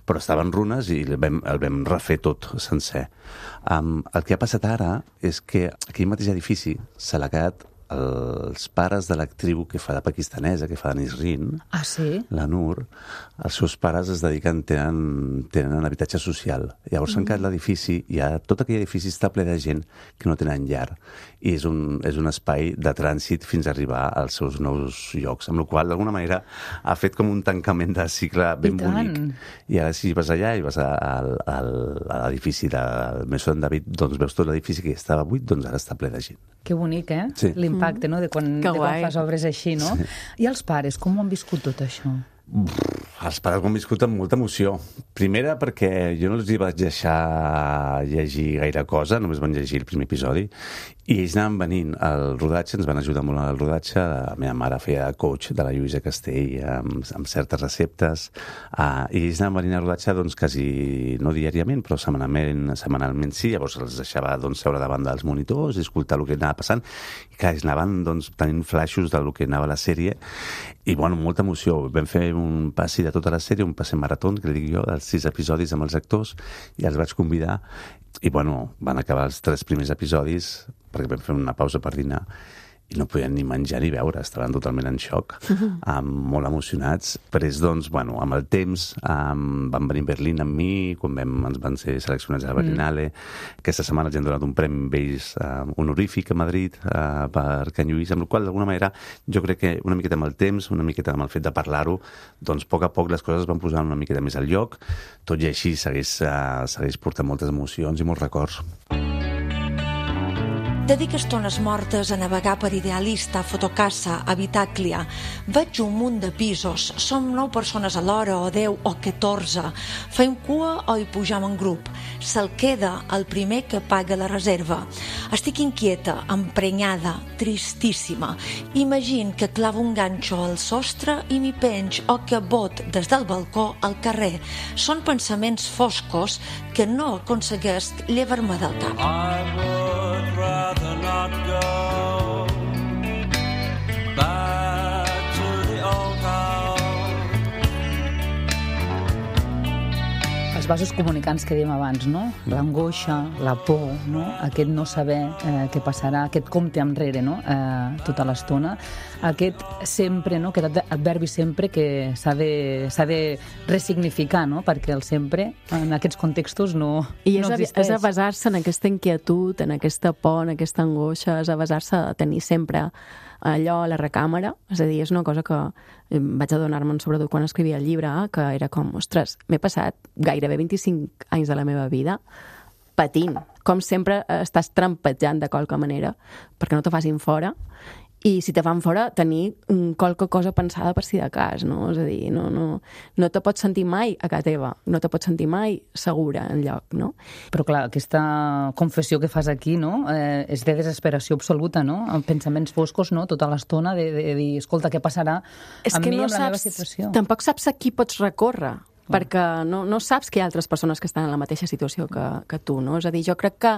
però estava en runes i el vam, el vam refer tot sencer. Um, el que ha passat ara és que aquell mateix edifici se l'ha quedat els pares de l'actriu que fa de pakistanesa, que fa de Nisrin, ah, sí? la Nur, els seus pares es dediquen, tenen, tenen habitatge social. Llavors s'han mm. quedat l'edifici, i ha, tot aquell edifici està ple de gent que no tenen llar, i és un, és un espai de trànsit fins a arribar als seus nous llocs, amb la qual d'alguna manera ha fet com un tancament de cicle ben I bonic. I ara si vas allà i vas a, a, a l'edifici del Maison David, doncs veus tot l'edifici que estava buit, doncs ara està ple de gent. Que bonic, eh? Sí. L'impacte, no?, de quan, de quan fas obres així, no? Sí. I els pares, com ho han viscut tot això? Els pares ho han viscut amb molta emoció. Primera perquè jo no els hi vaig deixar llegir gaire cosa, només van llegir el primer episodi, i ells anaven venint al rodatge, ens van ajudar molt al rodatge. La meva mare feia coach de la Lluïsa Castell amb, amb certes receptes, uh, i ells anaven venint al rodatge doncs, quasi, no diàriament, però setmanalment, setmanalment sí. Llavors els deixava doncs, seure davant dels monitors i escoltar el que anava passant, i que ells anaven doncs, tenint flaixos del que anava a la sèrie, i bueno, molta emoció. Vam fer un passi de tota la sèrie, un passi marató, que li dic jo, dels sis episodis amb els actors, i els vaig convidar, i bueno, van acabar els tres primers episodis perquè vam fer una pausa per dinar, i no podien ni menjar ni beure, estaven totalment en xoc, um, molt emocionats. Després, doncs, bueno, amb el temps um, van venir a Berlín amb mi, quan vam, ens van ser seleccionats a la Berlinale. Mm. Aquesta setmana ens han donat un premi amb ells uh, honorífic a Madrid uh, per Can Lluís, amb el qual, d'alguna manera, jo crec que una miqueta amb el temps, una miqueta amb el fet de parlar-ho, doncs, a poc a poc les coses van posar una miqueta més al lloc, tot i així segueix, uh, segueix portant moltes emocions i molts records. Dedica estones mortes a navegar per Idealista, Fotocasa, Habitaclia. Veig un munt de pisos. Som nou persones alhora, o deu, o catorze. Fem cua o hi pujam en grup. Se'l queda el primer que paga la reserva. Estic inquieta, emprenyada, tristíssima. Imagine que clavo un ganxo al sostre i m'hi penj, o que bot des del balcó al carrer. Són pensaments foscos que no aconseguesc llevar-me del cap. Rather not go back to the old house. Els vasos comunicants que dèiem abans, no? L'angoixa, la por, no? Aquest no saber eh, què passarà, aquest compte enrere, no? Eh, tota l'estona. Aquest sempre, no? Aquest adverbi sempre que s'ha de, s'ha de resignificar, no? Perquè el sempre, en aquests contextos, no, I és no a, existeix. és a basar-se en aquesta inquietud, en aquesta por, en aquesta angoixa, és a basar-se a tenir sempre allò a la recàmera. És a dir, és una cosa que vaig adonar-me'n sobretot quan escrivia el llibre, que era com, ostres, m'he passat gairebé vint-i-cinc anys de la meva vida patint. Com sempre estàs trampejant de qualque manera perquè no te facin fora. I si te fan fora, tenir qualque cosa pensada per si de cas, no? És a dir, no, no, no te pots sentir mai a casa teva, no te pots sentir mai segura en lloc, no? Però clar, aquesta confessió que fas aquí, no? Eh, és de desesperació absoluta, no? Amb pensaments foscos, no? Tota l'estona de, de, de dir, escolta, què passarà és amb que mi, no amb la saps, meva situació? Tampoc saps a qui pots recórrer, perquè no, no saps que hi ha altres persones que estan en la mateixa situació que, que tu, no? És a dir, jo crec que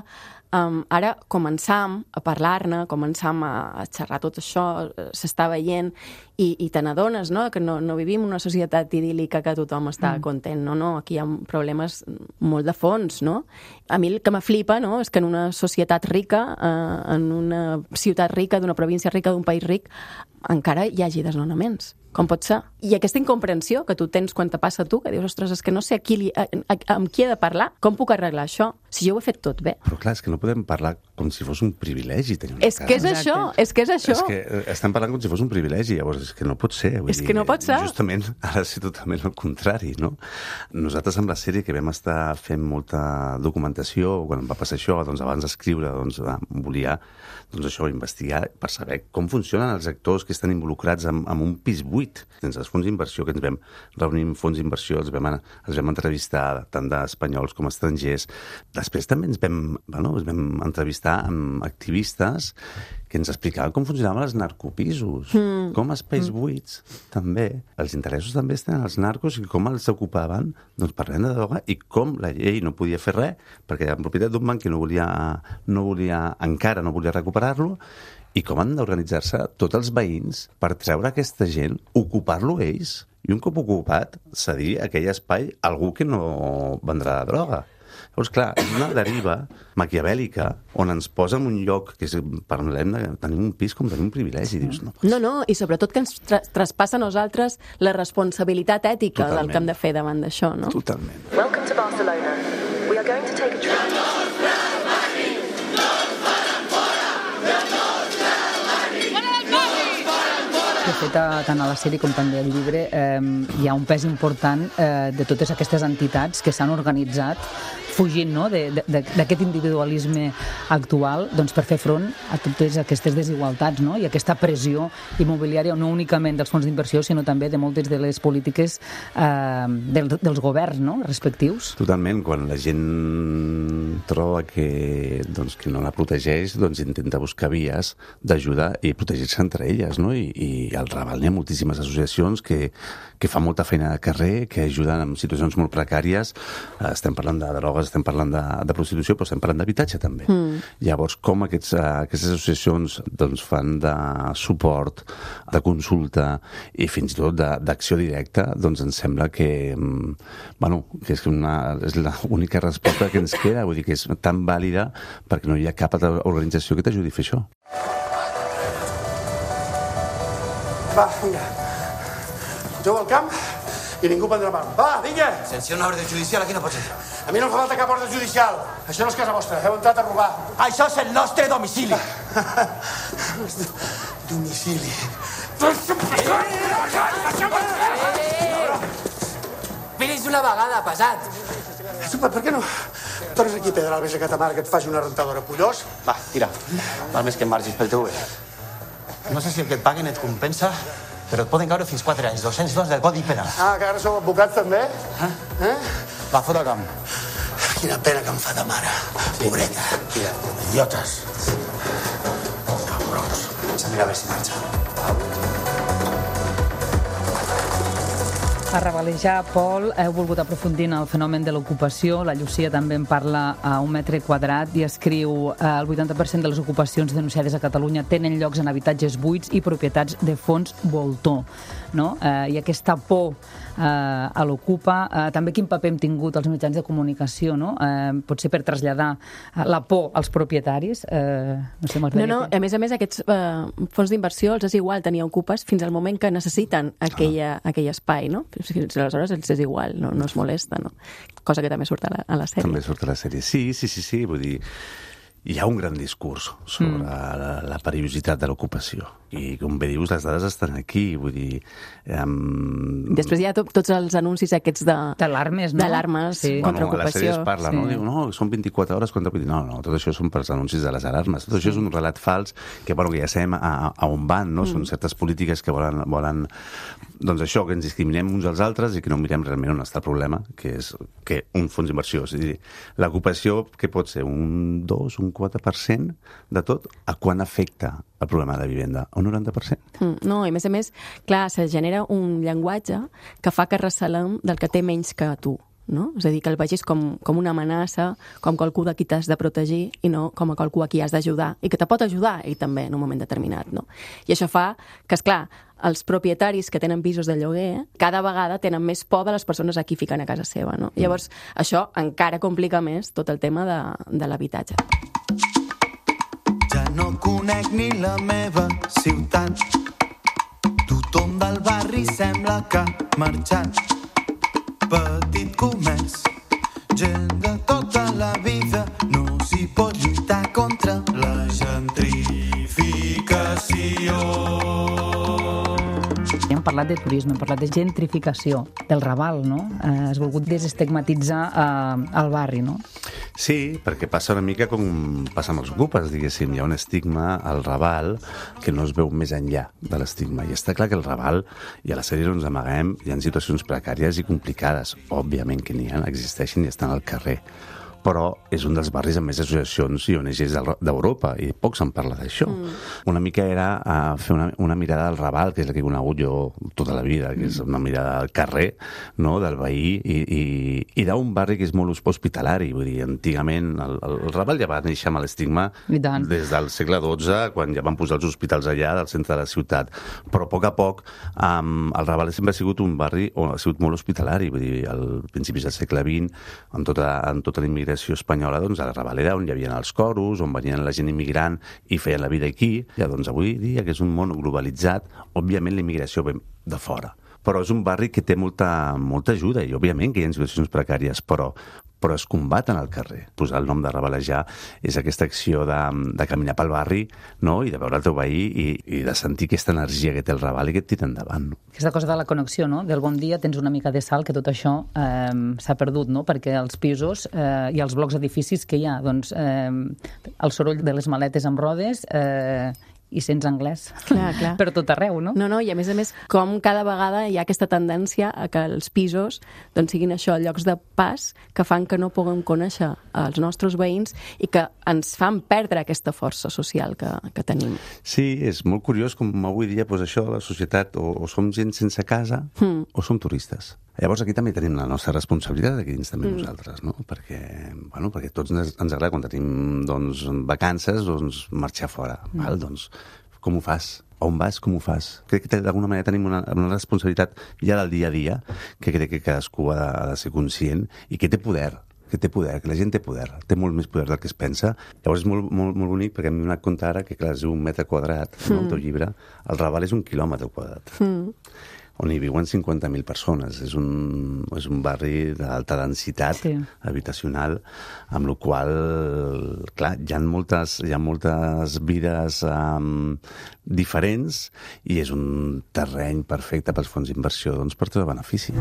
um, ara començam a parlar-ne, començam a, a xerrar tot això, s'està veient, i, i te n'adones, no?, que no, no vivim una societat idíl·lica que tothom està mm. content, no, no, aquí hi ha problemes molt de fons, no? A mi el que m'aflipa, no?, és que en una societat rica, eh, en una ciutat rica, d'una província rica, d'un país ric, encara hi hagi desnonaments. Com pot ser? I aquesta incomprensió que tu tens quan te passa a tu, que dius, ostres, és que no sé a qui li, a, a, amb qui he de parlar, com puc arreglar això, si jo ho he fet tot bé. Però clar, és que no podem parlar com si fos un privilegi tenir una és casa. Que és això, és que és això. És que estem parlant com si fos un privilegi, llavors és que no pot ser. Vull és dir, que no pot ser. Justament ha de ser totalment el contrari, no? Nosaltres amb la sèrie que vam estar fent molta documentació, quan em va passar això, doncs abans d'escriure, doncs volia doncs això, investigar per saber com funcionen els actors que estan involucrats en, en un pis buit. Sense els fons d'inversió, que ens vam reunir amb fons d'inversió, els vam, els vam entrevistar tant d'espanyols com estrangers. Després també ens vam, bueno, ens vam entrevistar amb activistes que ens explicaven com funcionaven els narcopisos, mm. com espais mm. buits, també. Els interessos també estan als narcos i com els ocupaven, doncs parlant de droga, i com la llei no podia fer res, perquè en propietat d'un banc que no volia, no volia, encara no volia recuperar-lo, i com han d'organitzar-se tots els veïns per treure aquesta gent, ocupar-lo ells, i un cop ocupat, cedir aquell espai a algú que no vendrà la droga. Llavors, clar, és una deriva maquiavèlica on ens posa en un lloc que és, parlem de tenir un pis com tenir un privilegi. Dius, no, no, no, i sobretot que ens tra traspassa a nosaltres la responsabilitat ètica Totalment. Del que hem de fer davant d'això, no? Totalment. Welcome to Barcelona. We are going to take a trip. De fet, tant a la sèrie com també al llibre, eh, hi ha un pes important eh, de totes aquestes entitats que s'han organitzat fugint, no?, d'aquest individualisme actual, doncs, per fer front a totes aquestes desigualtats, no?, i aquesta pressió immobiliària, no únicament dels fons d'inversió, sinó també de moltes de les polítiques eh, dels, dels governs, no?, respectius. Totalment. Quan la gent troba que, doncs, que no la protegeix, doncs intenta buscar vies d'ajuda i protegir-se entre elles, no?, I, i el Raval n'hi ha moltíssimes associacions que, que fan molta feina de carrer, que ajuden en situacions molt precàries. Estem parlant de drogues, estem parlant de, de prostitució, però estem parlant d'habitatge també. Mm. Llavors, com aquests, aquestes associacions doncs, fan de suport, de consulta i fins i tot d'acció directa, doncs ens sembla que, bueno, que és, una, és l'única resposta que ens queda, vull dir que és tan vàlida perquè no hi ha cap altra organització que t'ajudi a fer això. Va, vinga. Jugo al camp i ningú prendrà mal. Va, vinga! Sense una ordre judicial aquí no pot ser. A mi no em fa falta cap ordre judicial. Això no és casa vostra. Heu entrat a robar. Això és el nostre domicili. Domicili. Vinis una vegada, pesat. Super, per què no tornes aquí a Pedralbes a Catamar que et faci una rentadora, pollós? Va, tira. Val més que em margis pel teu bé. No sé si el que et paguen et compensa, però et poden caure fins quatre anys, dos-cents dos del Codi Penal. Ah, que ara sou advocats també? Eh? Eh? Va, fora camp. Quina pena que em fa de mare. Pobreta. Tira. Idiotes. Cabrons. Vaig a mirar a veure si marxa. A Ravalejar, Pol, heu volgut aprofundir en el fenomen de l'ocupació. La Llucia també en parla a un metre quadrat i escriu eh, el vuitanta per cent de les ocupacions denunciades a Catalunya tenen llocs en habitatges buits i propietats de fons voltor. No? Eh, I aquesta por eh, a l'ocupa, eh, també quin paper hem tingut els mitjans de comunicació, no? Eh, potser per traslladar la por als propietaris. Eh, no sé, no, no, a més a més aquests eh, fons d'inversió els és igual tenir ocupes fins al moment que necessiten aquella, ah. aquell espai, no? Fins aleshores els és igual, no, no es molesta, no? Cosa que també surt a la, a la sèrie. També surt a la sèrie, sí, sí, sí, sí, vull dir, hi ha un gran discurs sobre mm. la, la perillositat de l'ocupació. I, com bé dius, les dades estan aquí, vull dir... Um... Després hi ha to tots els anuncis aquests de... D'alarmes, no? D'alarmes sí. contra bueno, ocupació. A la sèrie es parla, sí. no? Diu, no, són vint-i-quatre hores contra... No, no, tot això són pels anuncis de les alarmes. Tot això és un relat fals que, bueno, que ja sabem a, a on van, no? Mm. Són certes polítiques que volen, volen... Doncs això, que ens discriminem uns als altres i que no mirem realment on està el problema, que és que un fons d'inversió. És a dir, l'ocupació, que pot ser un dos, un quatre per cent de tot, a quan afecta el problema de vivenda? Un noranta per cent? Mm, no, i a més a més, clar, se genera un llenguatge que fa que recelem del que té menys que tu. No? És a dir, que el vegis com, com una amenaça, com qualcú de qui t'has de protegir i no com a qualcú a qui has d'ajudar i que te pot ajudar ell també en un moment determinat. No? I això fa que, esclar, els propietaris que tenen pisos de lloguer cada vegada tenen més por de les persones a qui fiquen a casa seva. No? Llavors, això encara complica més tot el tema de, de l'habitatge. Ja no conec ni la meva ciutat. Tothom del barri sembla que ha marxat. Petit comerç, gent de tota la vida, no s'hi pot lluitar contra la gentrificació. Hem parlat de turisme, hem parlat de gentrificació, del Raval, no? Eh, has volgut desestigmatitzar eh, el barri, no? Sí, perquè passa una mica com passa amb els ocupes, diguéssim. Hi ha un estigma al Raval que no es veu més enllà de l'estigma. I està clar que el Raval, i a la sèrie no ens amaguem, hi ha situacions precàries i complicades. Òbviament que n'hi ha, existeixen i estan al carrer. Però és un dels barris amb més associacions i O N Ges d'Europa, i poc se'n parla d'això. Mm. Una mica era uh, fer una, una mirada al Raval, que és la que he conegut jo tota la vida, que és una mirada al carrer, no?, del veí, i, i, i d'un barri que és molt hospitalari. Vull dir, antigament el, el, el Raval ja va néixer amb l'estigma des del segle dotze, quan ja van posar els hospitals allà, del centre de la ciutat. Però a poc a poc um, el Raval sempre ha sigut un barri on ha sigut molt hospitalari. Vull dir, al principis del segle vint, amb tota, amb tota la immigració espanyola, doncs el Raval era on hi havia els coros, on venien la gent immigrant i feien la vida aquí. Ja, doncs avui dia, que és un món globalitzat, òbviament la immigració ve de fora. Però és un barri que té molta, molta ajuda i òbviament que hi ha situacions precàries, però però es combaten al carrer. Posar el nom de Ravalejar és aquesta acció de, de caminar pel barri, no?, i de veure el teu veí i, i de sentir aquesta energia que té el Raval i que et tira endavant. No? Aquesta cosa de la connexió, no?, del bon dia tens una mica de sal, que tot això eh, s'ha perdut, no?, perquè els pisos eh, i els blocs edificis que hi ha, doncs eh, el soroll de les maletes amb rodes eh, i sents anglès. Clar, clar. Per tot arreu, no? No, no, i a més a més, com cada vegada hi ha aquesta tendència a que els pisos doncs, siguin això, llocs de pas que fan que no puguem conèixer els nostres veïns i que ens fan perdre aquesta força social que, que tenim. Sí, és molt curiós com avui dia doncs, això, la societat, o, o som gent sense casa Mm. o som turistes. Llavors aquí també tenim la nostra responsabilitat, aquí dins també Mm. nosaltres, no? Perquè, bueno, perquè tots ens, ens agrada quan tenim doncs, vacances doncs, marxar fora. Mm. Val? Doncs, com ho fas? On vas? Com ho fas? Crec que d'alguna manera tenim una, una responsabilitat ja del dia a dia que crec que cadascú ha de, ha de ser conscient i que té poder. que té poder, que la gent té poder, té molt més poder del que es pensa. Llavors és molt, molt, molt bonic perquè m'he donat compte ara que, clar, és un metre quadrat, mm. no, el teu llibre, el Raval és un quilòmetre quadrat, mm. on hi viuen cinquanta mil persones. És un, és un barri d'alta densitat sí. habitacional, amb la qual, clar, hi ha moltes, hi ha moltes vides um, diferents i és un terreny perfecte pels fons d'inversió, doncs per tot el benefici.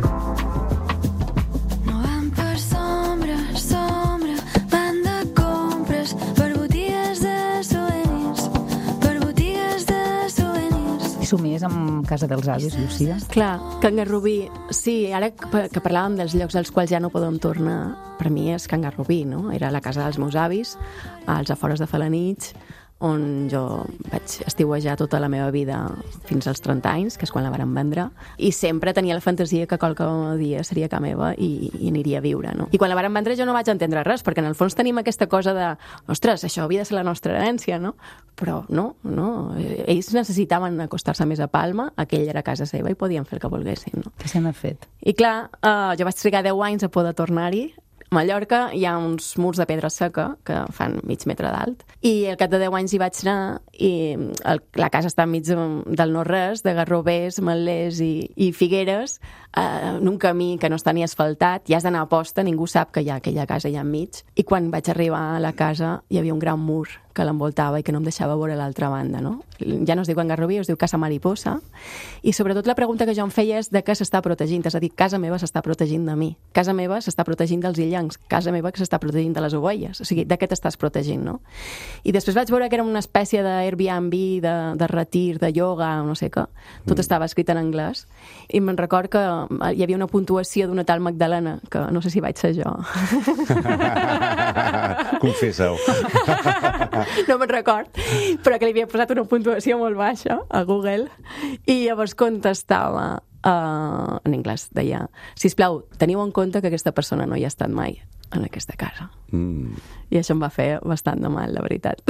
Més amb Casa dels Avis, Lucía. Clar, Can Garrobí, sí, ara que parlàvem dels llocs als quals ja no podem tornar, per mi és Can Garrobí, no? Era la casa dels meus avis, als afores de Felanitx, on jo vaig estiuejar tota la meva vida fins als trenta anys, que és quan la varen vendre, i sempre tenia la fantasia que qualque dia seria casa meva i, i aniria a viure, no? I quan la varen vendre jo no vaig entendre res, perquè en el fons tenim aquesta cosa de, ostres, això havia de ser la nostra herència, no? Però no, no. Ells necessitaven acostar-se més a Palma, aquella era casa seva i podien fer el que volguessin, no? Què se n'ha fet? I clar, eh, jo vaig trigar deu anys a poder tornar-hi. A Mallorca hi ha uns murs de pedra seca que fan mig metre d'alt i al cap de deu anys hi vaig anar i el, la casa està enmig del no-res, de garrovers, metlers i, i figueres, eh, en un camí que no està ni asfaltat, i has d'anar a posta, ningú sap que hi ha aquella casa allà enmig. I quan vaig arribar a la casa hi havia un gran mur que l'envoltava i que no em deixava veure l'altra banda, no? Ja no es diu Can Garrobí, es diu Casa Mariposa, i sobretot la pregunta que jo em feia és de què s'està protegint, és a dir, casa meva s'està protegint de mi, casa meva s'està protegint dels illencs, casa meva que s'està protegint de les ovelles, o sigui, de què t'estàs protegint, no? I després vaig veure que era una espècie d'Airbnb, de, de retir, de ioga, no sé què, tot mm. estava escrit en anglès, i me'n record que hi havia una puntuació d'una tal Magdalena, que no sé si vaig ser jo. Confessa-ho. No me'n record, però que li havia posat una puntuació molt baixa a Google i llavors contestava uh, en anglès, deia, sisplau, teniu en compte que aquesta persona no hi ha estat mai en aquesta casa. Mm. I això em va fer bastant de mal, la veritat.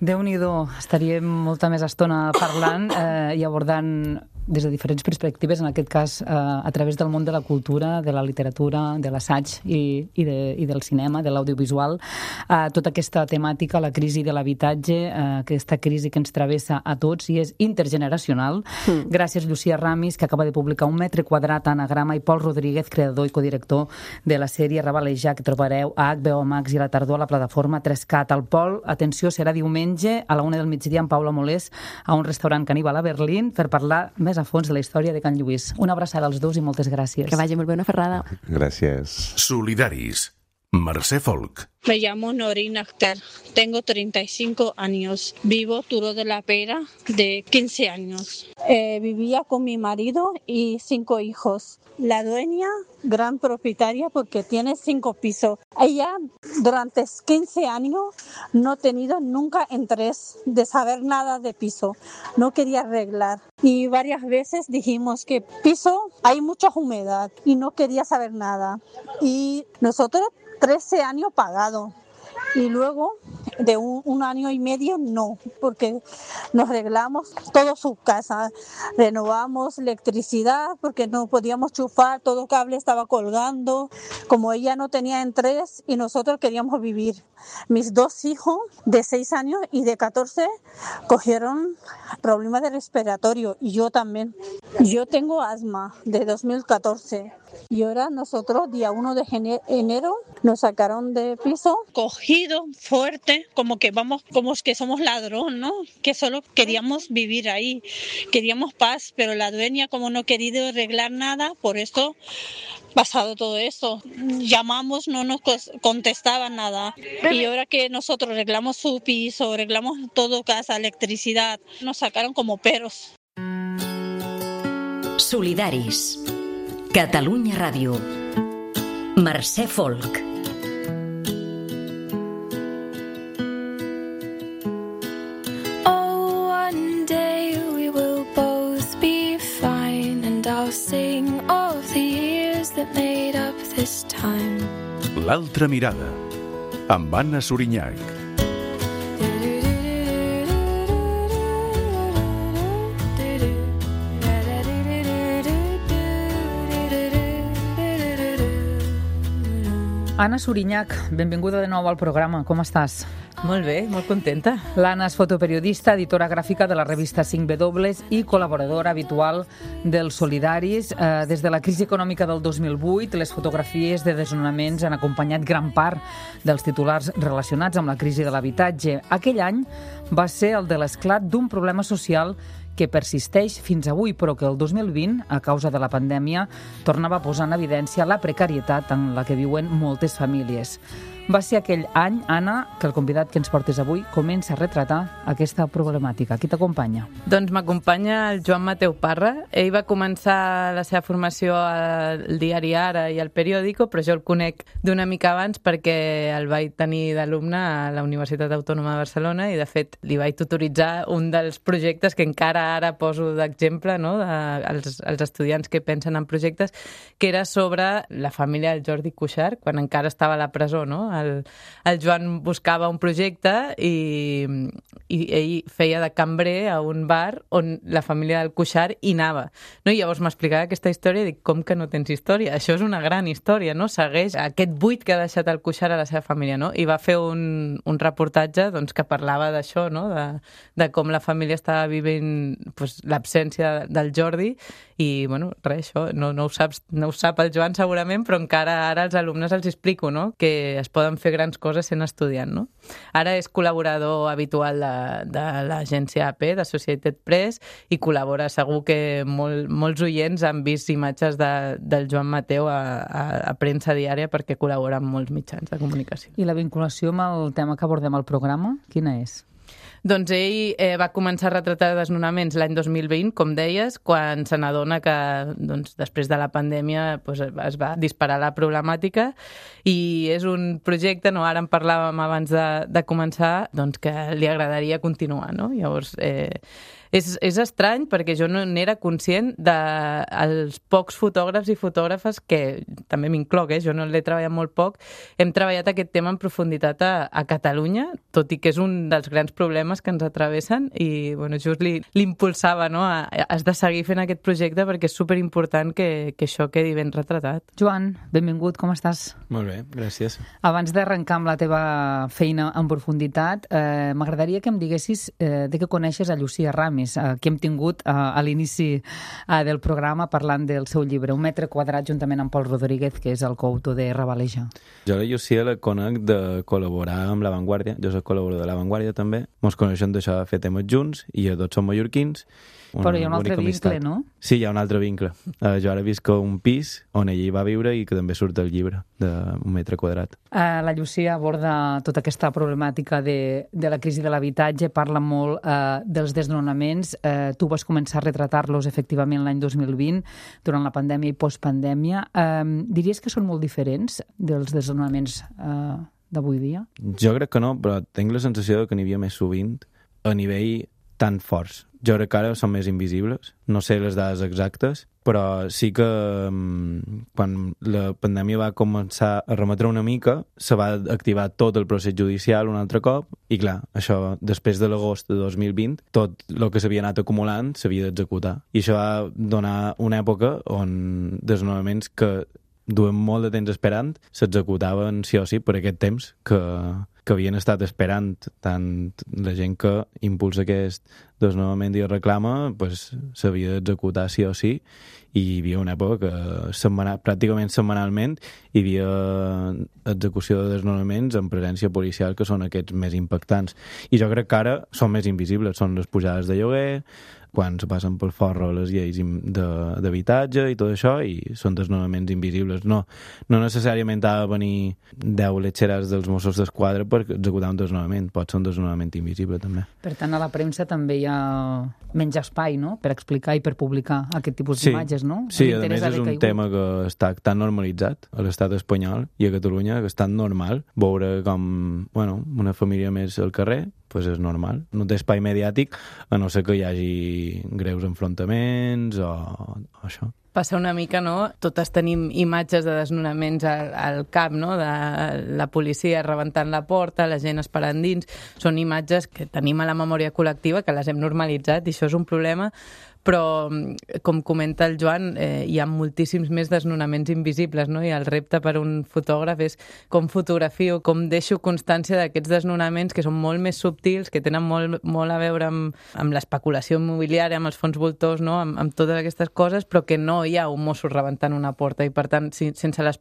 Déu-n'hi-do, estaríem molta més estona parlant eh, i abordant des de diferents perspectives, en aquest cas eh, a través del món de la cultura, de la literatura, de l'assaig i, i, de, i del cinema, de l'audiovisual, eh, tota aquesta temàtica, la crisi de l'habitatge, eh, aquesta crisi que ens travessa a tots i és intergeneracional. Mm. Gràcies, Lucía Ramis, que acaba de publicar Un metre quadrat, Anagrama, i Pol Rodríguez, creador i codirector de la sèrie Rabalejar, que trobareu a H B O Max i a la tardor a la plataforma tres cat. El Pol, atenció, serà diumenge a la una del migdia amb Paula Molés a un restaurant caníbal a Berlín per parlar més a fons de la història de Can Lluís. Una abraçada als dos i moltes gràcies. Que vagi molt bé, una ferrada. Gràcies. Solidaris. Mercè Folk. Me llamo Norina Akhtar, tengo treinta y cinco años, vivo Turo de la Pera de quince años. Eh, vivía con mi marido y cinco hijos. La dueña, gran propietaria porque tiene cinco pisos. Ella durante quince años no ha tenido nunca interés de saber nada de piso, no quería arreglar. Y varias veces dijimos que piso hay mucha humedad y no quería saber nada. Y nosotros trece años pagado y luego de un, un año y medio no, porque nos arreglamos toda su casa, renovamos electricidad porque no podíamos chufar, todo el cable estaba colgando, como ella no tenía interés y nosotros queríamos vivir. Mis dos hijos de seis años y de catorce cogieron problemas de respiratorio y yo también. Yo tengo asma de dos mil catorce y ahora nosotros día uno de enero nos sacaron de piso cogido fuerte, como que vamos, como que somos ladrón, ¿no? Que solo queríamos vivir ahí, queríamos paz, pero la dueña como no ha querido arreglar nada, por eso pasado todo esto. Llamamos, no nos contestaban nada. Y ahora que nosotros arreglamos su piso, arreglamos todo, casa, electricidad, nos sacaron como perros. Solidaris. Catalunya Ràdio. Mercè Folk. Oh, one day we will both be fine and I'll sing of the years that made up this time. L'altra mirada, amb Anna Sorinyac. Anna Sorinyac, benvinguda de nou al programa. Com estàs? Molt bé, molt contenta. L'Anna és fotoperiodista, editora gràfica de la revista cinc W i col·laboradora habitual dels Solidaris. Eh, des de la crisi econòmica del dos mil vuit, les fotografies de desnonaments han acompanyat gran part dels titulars relacionats amb la crisi de l'habitatge. Aquell any va ser el de l'esclat d'un problema social que persisteix fins avui, però que el dos mil vint, a causa de la pandèmia, tornava a posar en evidència la precarietat en la que viuen moltes famílies. Va ser aquell any, Anna, que el convidat que ens portes avui comença a retratar aquesta problemàtica. Qui t'acompanya? Doncs m'acompanya el Joan Mateu Parra. Ell va començar la seva formació al diari Ara i al Periódico, però jo el conec d'una mica abans perquè el vaig tenir d'alumne a la Universitat Autònoma de Barcelona i, de fet, li vaig tutoritzar un dels projectes que encara ara poso d'exemple, no?, de, als, als estudiants que pensen en projectes, que era sobre la família del Jordi Cuixart, quan encara estava a la presó, no? El, el Joan buscava un projecte i, i ell feia de cambrer a un bar on la família del Cuixart hi anava. No? I llavors m'explicava aquesta història i dic, com que no tens història? Això és una gran història, no? Segueix aquest buit que ha deixat el Cuixart a la seva família, no? I va fer un, un reportatge doncs, que parlava d'això, no? De, de com la família estava vivint pues, l'absència del Jordi i, bueno, res, això no, no, ho saps, no ho sap el Joan segurament, però encara ara als alumnes els explico, no?, que es poden fer grans coses sent estudiant, no? Ara és col·laborador habitual de, de l'agència A P, de Associated Press, i col·labora, segur que molt, molts oients han vist imatges de, del Joan Mateu a, a, a premsa diària perquè col·labora amb molts mitjans de comunicació. I la vinculació amb el tema que abordem al programa, quina és? Doncs ell eh, va començar a retratar desnonaments l'any dos mil vint, com deies, quan se n'adona que doncs, després de la pandèmia doncs, es va disparar la problemàtica i és un projecte, no, ara en parlàvem abans de, de començar, doncs, que li agradaria continuar, no? Llavors, eh, és, és estrany perquè jo no n'era conscient dels de pocs fotògrafs i fotògrafes que, també m'incloc, eh, jo no l'he treballat molt poc, hem treballat aquest tema en profunditat a, a Catalunya, tot i que és un dels grans problemes que ens atravessen i bueno, just li, li impulsava, no? A, has de seguir fent aquest projecte perquè és superimportant que, que això quedi ben retratat. Joan, benvingut, com estàs? Molt bé, gràcies. Abans d'arrencar amb la teva feina en profunditat, eh, m'agradaria que em diguessis eh, de què coneixes a Llucia Ramis, eh, que hem tingut eh, a l'inici eh, del programa parlant del seu llibre, Un metre quadrat, juntament amb Pol Rodríguez, que és el coautor de Rebaleja. Jo la Llucia la conec de col·laborar amb La Vanguardia, jo soc col·laborador de La Vanguardia també, mos coneixem d'això de fer temes junts i ja tots som mallorquins. Però hi ha un altre vincle, no? Sí, hi ha un altre vincle. Uh, jo ara visc a un pis on ella hi va viure i que també surt el llibre d'un metre quadrat. Uh, la Llucia aborda tota aquesta problemàtica de, de la crisi de l'habitatge, parla molt uh, dels desnonaments. Uh, tu vas començar a retratar-los efectivament l'any dos mil vint, durant la pandèmia i postpandèmia. Uh, diries que són molt diferents dels desnonaments uh, d'avui dia? Jo crec que no, però tinc la sensació que n'hi havia més sovint a nivell tan forts. Jo crec que ara són més invisibles, no sé les dades exactes, però sí que um, quan la pandèmia va començar a remetre una mica, se va activar tot el procés judicial un altre cop, i clar, això, després de l'agost de dos mil vint, tot el que s'havia anat acumulant s'havia d'executar. I això va donar una època on desnonaments que duem molt de temps esperant s'executaven sí o sí per aquest temps que, que havien estat esperant, tant la gent que impulsa aquest desnonament i el reclama, pues, s'havia d'executar sí o sí, i hi havia una època que setmanal, pràcticament setmanalment hi havia execució de desnonaments en presència policial, que són aquests més impactants. I jo crec que ara són més invisibles, són les pujades de lloguer, quan se passen pel forro les lleis d'habitatge i tot això, i són desnonaments invisibles. No, no necessàriament ha de venir deu letxeres dels Mossos d'Esquadra per executar un desnonament, pot ser un desnonament invisible també. Per tant, a la premsa també hi ha menys espai, no?, per explicar i per publicar aquest tipus sí, d'imatges, no? Sí, a més és un tema que està tan normalitzat a l'estat espanyol i a Catalunya, que és tan normal veure com, bueno, una família més al carrer, pues és normal. No té espai mediàtic, a no ser que hi hagi greus enfrontaments o, o això. Passa una mica, no? Totes tenim imatges de desnonaments al, al cap, no? De la policia rebentant la porta, la gent esperant dins. Són imatges que tenim a la memòria col·lectiva, que les hem normalitzat, i això és un problema, però, com comenta el Joan, eh, hi ha moltíssims més desnonaments invisibles, no? I el repte per un fotògraf és com fotografio, com deixo constància d'aquests desnonaments que són molt més subtils, que tenen molt, molt a veure amb, amb l'especulació immobiliària, amb els fons voltors, no? amb, amb totes aquestes coses, però que no hi ha un mosso rebentant una porta, i per tant, si, sense les,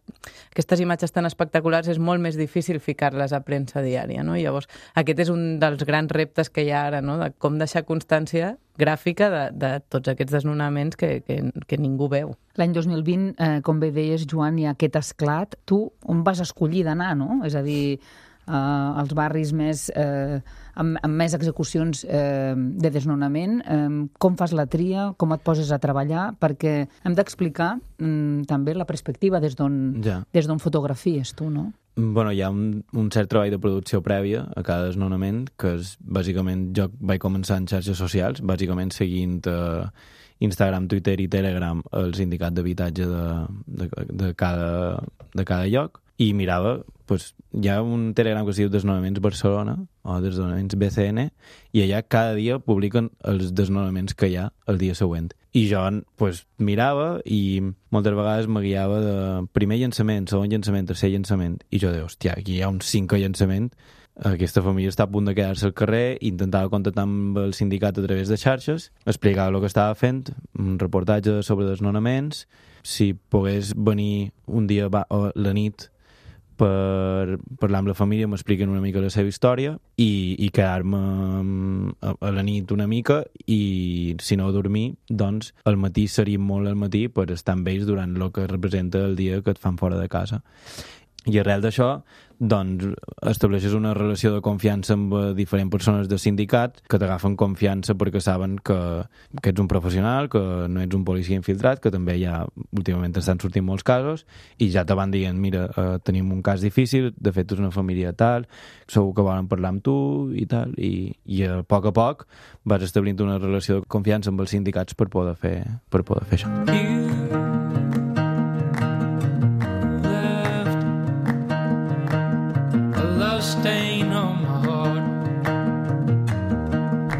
aquestes imatges tan espectaculars és molt més difícil ficar-les a premsa diària, no? I llavors, aquest és un dels grans reptes que hi ha ara, no? De com deixar constància gràfica de, de tots aquests desnonaments que, que, que ningú veu. L'any dos mil vint, eh, com bé deies, Joan, hi ha aquest esclat. Tu on vas escollir d'anar, no? És a dir, eh, els barris més, eh, amb, amb més execucions eh, de desnonament. Eh, com fas la tria? Com et poses a treballar? Perquè hem d'explicar mm, també la perspectiva des d'on ja. des d'on fotografies tu, no? Bueno, hi ha un, un cert treball de producció prèvia a cada desnonament, que és, bàsicament, jo vaig començar en xarxes socials, bàsicament seguint eh, Instagram, Twitter i Telegram el sindicat d'habitatge de, de, de, cada, de cada lloc, i mirava, pues, hi ha un Telegram que es diu Desnonaments Barcelona, o Desnonaments B C N, i allà cada dia publiquen els desnonaments que hi ha el dia següent. I jo, pues, mirava i moltes vegades me guiava de primer llançament, segon llançament, tercer llançament, i jo deia, hòstia, aquí hi ha un cinquè llançament, aquesta família està a punt de quedar-se al carrer, intentava contactar amb el sindicat a través de xarxes, explicava el que estava fent, un reportatge sobre desnonaments, si pogués venir un dia o la nit per parlar amb la família, m'expliquen una mica la seva història i, i quedar-me a, a la nit una mica, i si no dormir, doncs al matí seria molt al matí per estar amb ells durant el que representa el dia que et fan fora de casa. I arrel d'això, doncs, estableixes una relació de confiança amb diferents persones del sindicat que t'agafen confiança perquè saben que, que ets un professional, que no ets un policia infiltrat, que també ja últimament estan sortint molts casos, i ja te van dient, mira, eh, tenim un cas difícil, de fet és una família tal, segur que volen parlar amb tu i tal, i, i a poc a poc vas establint una relació de confiança amb els sindicats per poder fer, per poder fer això.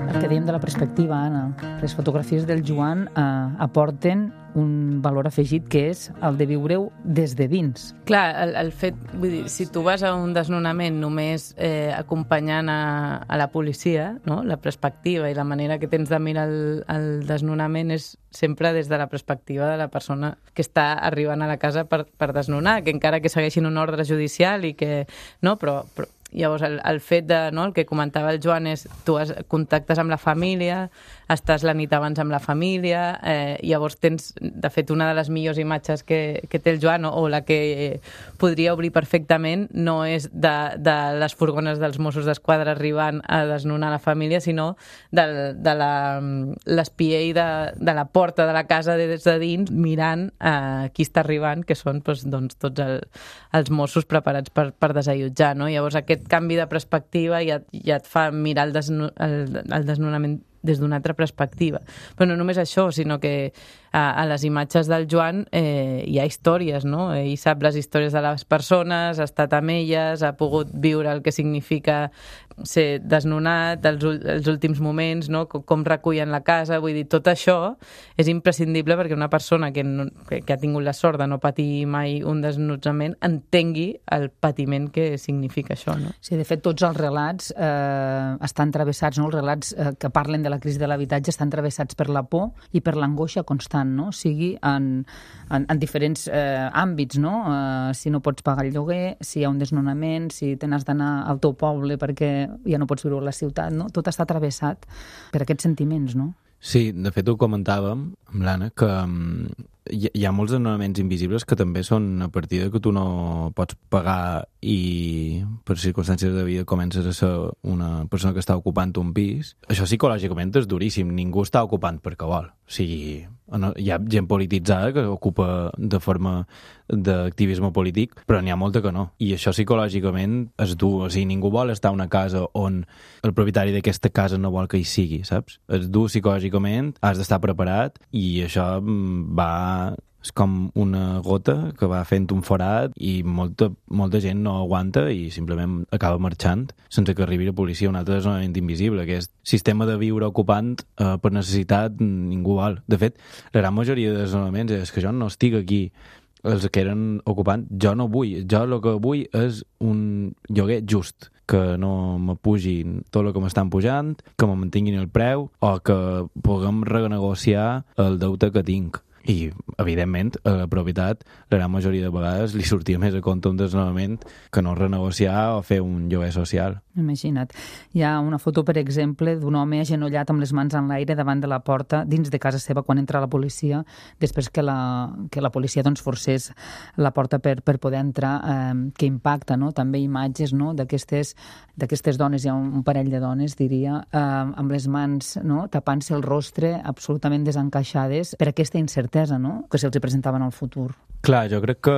El que dèiem de la perspectiva, Anna, les fotografies del Joan eh, aporten un valor afegit que és el de viure-ho des de dins. Clar, el, el fet, vull dir, si tu vas a un desnonament només eh, acompanyant a, a la policia, no? La perspectiva i la manera que tens de mirar el, el desnonament és sempre des de la perspectiva de la persona que està arribant a la casa per, per desnonar, que encara que segueixin un ordre judicial i que... No, però... però llavors, el, el fet de, no, el que comentava el Joan és, tu has, contactes amb la família, estàs la nit abans amb la família, eh, llavors tens, de fet, una de les millors imatges que, que té el Joan, o, o la que podria obrir perfectament, no és de, de les furgones dels Mossos d'Esquadra arribant a desnonar la família, sinó de, de l'espiell de, de la porta de la casa des de dins, mirant eh, qui està arribant, que són doncs, doncs, tots el, els Mossos preparats per, per desallotjar, no? Llavors, aquest canvi de perspectiva ja, ja et fa mirar el, desno, el, el desnonament des d'una altra perspectiva. Però no només això, sinó que a, a les imatges del Joan eh, hi ha històries, no? Ell sap les històries de les persones, ha estat amb elles, ha pogut viure el que significa ser desnonat, els, els últims moments, no? Com, com recullen la casa, vull dir, tot això és imprescindible perquè una persona que, no, que, que ha tingut la sort de no patir mai un desnotzament entengui el patiment que significa això, no? Sí, de fet, tots els relats eh, estan travessats, no? Els relats eh, que parlen de la crisi de l'habitatge estan travessats per la por i per l'angoixa constant, no? Sigui en, en, en diferents eh, àmbits, no? Eh, si no pots pagar el lloguer, si hi ha un desnonament, si te n'has d'anar al teu poble perquè ja no pots viure a la ciutat, no? Tot està travessat per aquests sentiments, no? Sí, de fet ho comentàvem amb l'Anna, que um, hi, hi ha molts desnonaments invisibles que també són a partir de que tu no pots pagar i per circumstàncies de vida comences a ser una persona que està ocupant un pis. Això psicològicament és duríssim, ningú està ocupant perquè vol. O sigui, hi ha gent polititzada que ocupa de forma d'activisme polític, però n'hi ha molta que no. I això psicològicament és dur. O sigui, ningú vol estar a una casa on el propietari d'aquesta casa no vol que hi sigui, saps? És dur psicològicament, has d'estar preparat i això va... És com una gota que va fent un forat i molta, molta gent no aguanta i simplement acaba marxant sense que arribi la policia. Un altre desnonament invisible, que és sistema de viure ocupant eh, per necessitat, ningú vol. De fet, la gran majoria de desnonaments és que jo no estic aquí, els que eren ocupant, jo no vull. Jo el que vull és un lloguer just, que no me pugin tot el que m'estan pujant, que me mantinguin el preu o que puguem renegociar el deute que tinc. I, evidentment, a la propietat, la gran majoria de vegades li sortia més a compte un desnonament que no renegociar o fer un lloguer social. Imagina't. Hi ha una foto, per exemple, d'un home agenollat amb les mans en l'aire davant de la porta dins de casa seva quan entra la policia, després que la, que la policia doncs, forcés la porta per, per poder entrar, eh, que impacta, no? També imatges, no? d'aquestes d'aquestes dones, hi ha un, un parell de dones, diria, eh, amb les mans, no? tapant-se el rostre, absolutament desencaixades per aquesta incertesa, no? que se'ls presentava en el futur. Clar, jo crec que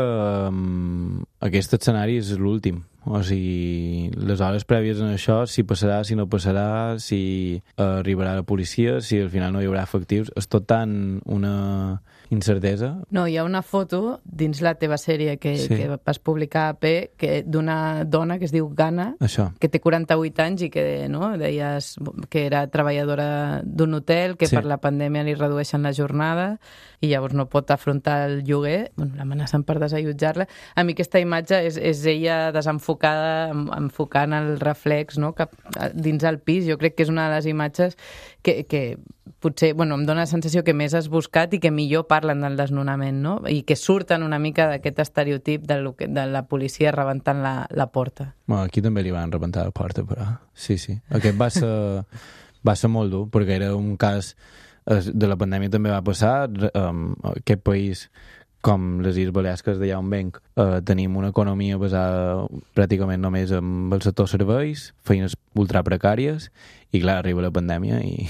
um, aquest escenari és l'últim. O sigui, les hores prèvies en això, si passarà, si no passarà, si arribarà la policia, si al final no hi haurà efectius, és tot tan una incertesa. No, hi ha una foto dins la teva sèrie que, sí. que vas publicar a P que d'una dona que es diu Gana, això. Que té quaranta-vuit anys i que no, deies que era treballadora d'un hotel, que sí. per la pandèmia li redueixen la jornada i llavors no pot afrontar el lloguer, bueno, l'amenacen per desallotjar-la. A mi aquesta imatge és, és ella desenfocada, enfocant el reflex, no? Cap dins el pis. Jo crec que és una de les imatges que, que potser, bueno, em dóna la sensació que més has buscat i que millor parlen del desnonament, no? I que surten una mica d'aquest estereotip de, lo que, de la policia rebentant la, la porta. Bueno, aquí també li van rebentar la porta, però sí, sí. Aquest va ser, va ser molt dur, perquè era un cas de la pandèmia també va passar. Um, aquest país, com les Illes Balears, que és d'allà on venc, eh, tenim una economia basada pràcticament només en el sector serveis, feines ultra precàries, i clar, arriba la pandèmia i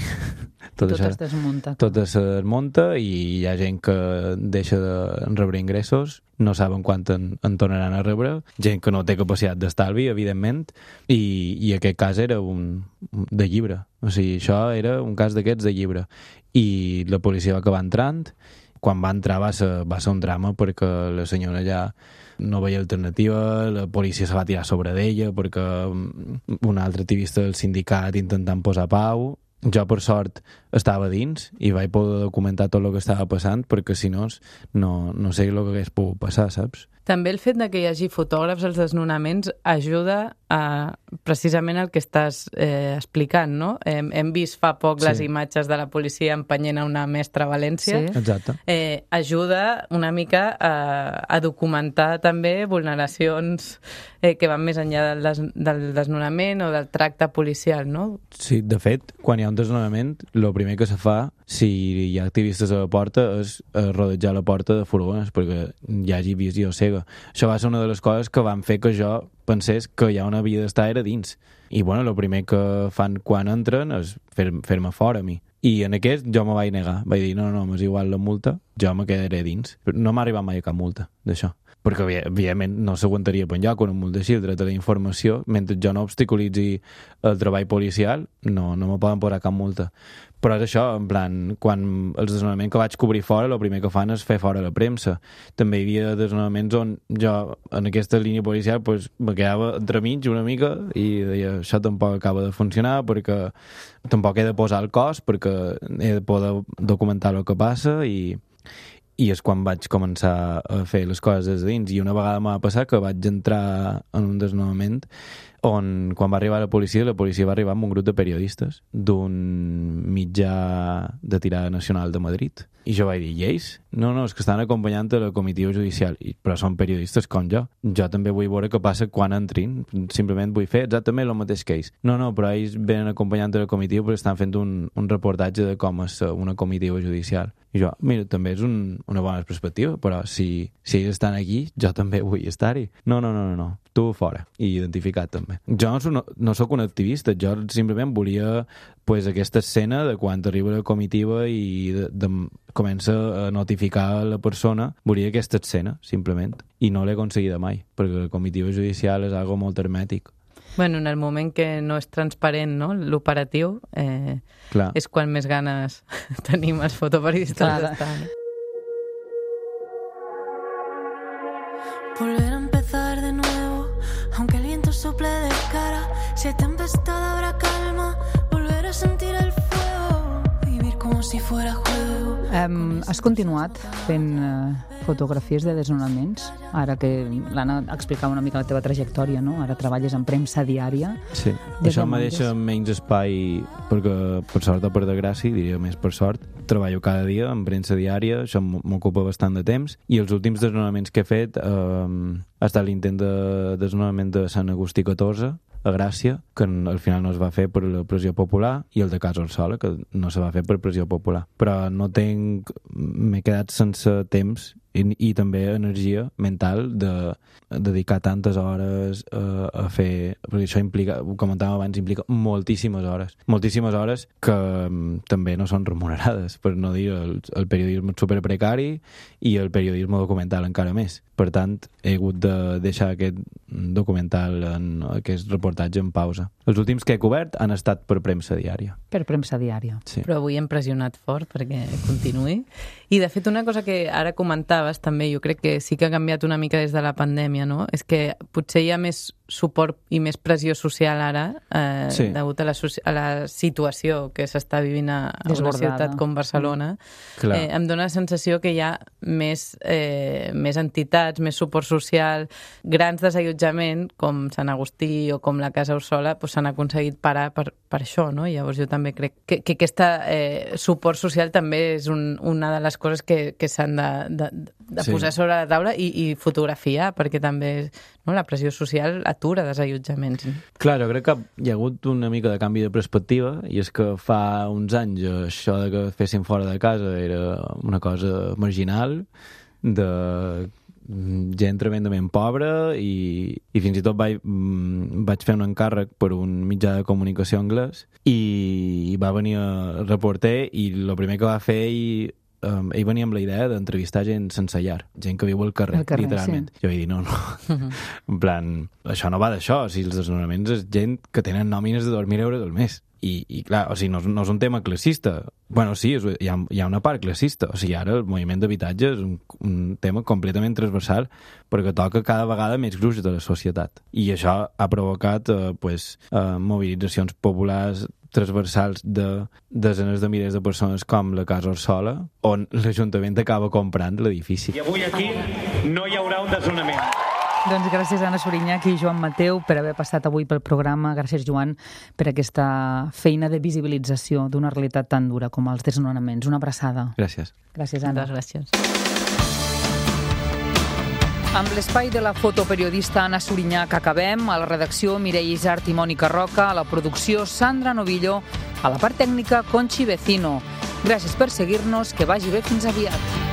tot, tot això, es desmunta. Tot es desmunta i hi ha gent que deixa de rebre ingressos, no saben quan en, en tornaran a rebre, gent que no té capacitat d'estalvi, evidentment, i, i aquest cas era un de llibre. O sigui, això era un cas d'aquests de llibre. I la policia va acabar entrant. Quan va entrar va ser, va ser un drama perquè la senyora ja no veia alternativa, la policia se va tirar sobre d'ella perquè un altre activista del sindicat intentant posar pau. Jo, per sort, estava dins i vaig poder documentar tot el que estava passant perquè, si no, no, no sé el que hagués pogut passar, saps? També el fet de que hi hagi fotògrafs als desnonaments ajuda a precisament el que estàs eh, explicant, no? Hem, hem vist fa poc sí. les imatges de la policia empenyent a una mestra a València. Sí. Exacte. Eh, ajuda una mica a, a documentar també vulneracions eh, que van més enllà del, des, del desnonament o del tracte policial, no? Sí, de fet, quan hi ha un desnonament, el primer que se fa, si hi ha activistes a la porta, és rodejar la porta de furgones perquè hi hagi visió cega. Això va ser una de les coses que van fer que jo pensés que ja on havia d'estar era dins. I, bueno, el primer que fan quan entren és fer, fer-me fora a mi. I en aquest jo me vaig negar. Vaig dir, no, no, m'és igual la multa, jo me quedaré dins. No m'ha arribat mai a cap multa d'això. Perquè, evidentment, no s'aguantaria per enlloc una multa així, el dret a la informació, mentre jo no obstaculitzi el treball policial, no, no me poden posar cap multa. Però és això, en plan, quan els desnonaments que vaig cobrir fora, el primer que fan és fer fora la premsa. També hi havia desnonaments on jo, en aquesta línia policial, pues, me quedava entremig una mica i deia, això tampoc acaba de funcionar perquè tampoc he de posar el cos perquè he de poder documentar el que passa i i és quan vaig començar a fer les coses des de dins. I una vegada m'ha passat que vaig entrar en un desnonament on, quan va arribar la policia, la policia va arribar amb un grup de periodistes d'un mitjà de tirada nacional de Madrid. I jo vaig dir, i ells? No, no, és que estan acompanyant la comitiva judicial, I, però són periodistes com jo. Jo també vull veure què passa quan entrin, simplement vull fer exactament el mateix que ells. No, no, però ells venen acompanyant la comitiva perquè estan fent un, un reportatge de com és una comitiva judicial. I jo, mira, també és un, una bona perspectiva, però si, si ells estan aquí, jo també vull estar-hi. No, no, no, no, no, tu fora, i identificat també. Jo no, no, no sóc un activista, jo simplement volia pues, aquesta escena de quan arriba la comitiva i de, de, comença a notificar la persona, volia aquesta escena, simplement, i no l'he aconseguida mai, perquè la comitiva judicial és algo molt hermètic. Bueno, en el moment que no és transparent, no?, l'operatiu, eh, és quan més ganes tenim els fotoperiodistes d'estar. Volver a empezar de nuevo, aunque el viento sople de cara, si hay tempestad habrá calma, volver a sentir el fuego, vivir como si fuera juego. Um, has continuat fent uh, fotografies de desnonaments, ara que l'Anna explicava una mica la teva trajectòria, no? Ara treballes en premsa diària. Sí, això me deixa menys espai, perquè per sort o per desgràcia, diria més per sort, treballo cada dia en premsa diària, això m'ocupa bastant de temps, i els últims desnonaments que he fet eh, ha estat l'intent de desnonament de Sant Agustí catorze, a Gràcia, que al final no es va fer per la pressió popular, i el de Casa Orsola, que no se va fer per pressió popular. Però no tenc... m'he quedat sense temps i, i també energia mental de, de dedicar tantes hores a, a fer... Perquè això implica, ho comentàvem abans, implica moltíssimes hores. Moltíssimes hores que um, també no són remunerades, per no dir el, el periodisme superprecari i el periodisme documental encara més. Per tant, he hagut de deixar aquest documental, en aquest reportatge en pausa. Els últims que he cobert han estat per premsa diària. Per premsa diària. Sí. Però avui hem pressionat fort perquè continuï. I, de fet, una cosa que ara comentaves també, jo crec que sí que ha canviat una mica des de la pandèmia, no? És que potser hi ha més suport i més pressió social ara eh, sí. degut a la, a la situació que s'està vivint a, a una ciutat com Barcelona. Mm. Eh, em dóna la sensació que hi ha més, eh, més entitats, més suport social, grans desallotjament, com Sant Agustí o com la Casa Orsola, doncs s'han aconseguit parar per, per això, no? Llavors jo també crec que, que aquest eh, suport social també és un, una de les coses que, que s'han de, de, de sí. posar sobre la taula i, i fotografiar, perquè també no, la pressió social atura desallotjaments. Clar, jo crec que hi ha hagut una mica de canvi de perspectiva, i és que fa uns anys això de que fessin fora de casa era una cosa marginal, de gent tremendament pobra, i, i fins i tot vaig, vaig fer un encàrrec per un mitjà de comunicació anglès, i va venir el reporter i el primer que va fer ell, um, ell venia amb la idea d'entrevistar gent sense llar, gent que viu al carrer, carrer literalment. Sí. Jo vaig dir, no, no, uh-huh. en plan, això no va d'això, o sigui, els desnonaments és gent que tenen nòmines de dos mil euros al mes. I, i clar, o sigui, no, no és un tema classista. Bueno, sí, és, hi, ha, hi ha una part classista. O sigui, ara el moviment d'habitatge és un, un tema completament transversal perquè toca cada vegada més gruix de la societat. I això ha provocat eh, pues, eh, mobilitzacions populars transversals de desenes de milers de persones com la Casa Orsola, on l'Ajuntament acaba comprant l'edifici. I avui aquí no hi haurà un desnonament. Doncs gràcies a Anna Surinyach i Joan Mateu per haver passat avui pel programa. Gràcies, Joan, per aquesta feina de visibilització d'una realitat tan dura com els desnonaments. Una abraçada. Gràcies. Gràcies, Anna. Gràcies. Amb l'espai de la fotoperiodista Anna Surinyach acabem. A la redacció, Mireia Isart i Mònica Roca. A la producció, Sandra Novillo. A la part tècnica, Conchi Vecino. Gràcies per seguir-nos. Que vagi bé. Fins aviat.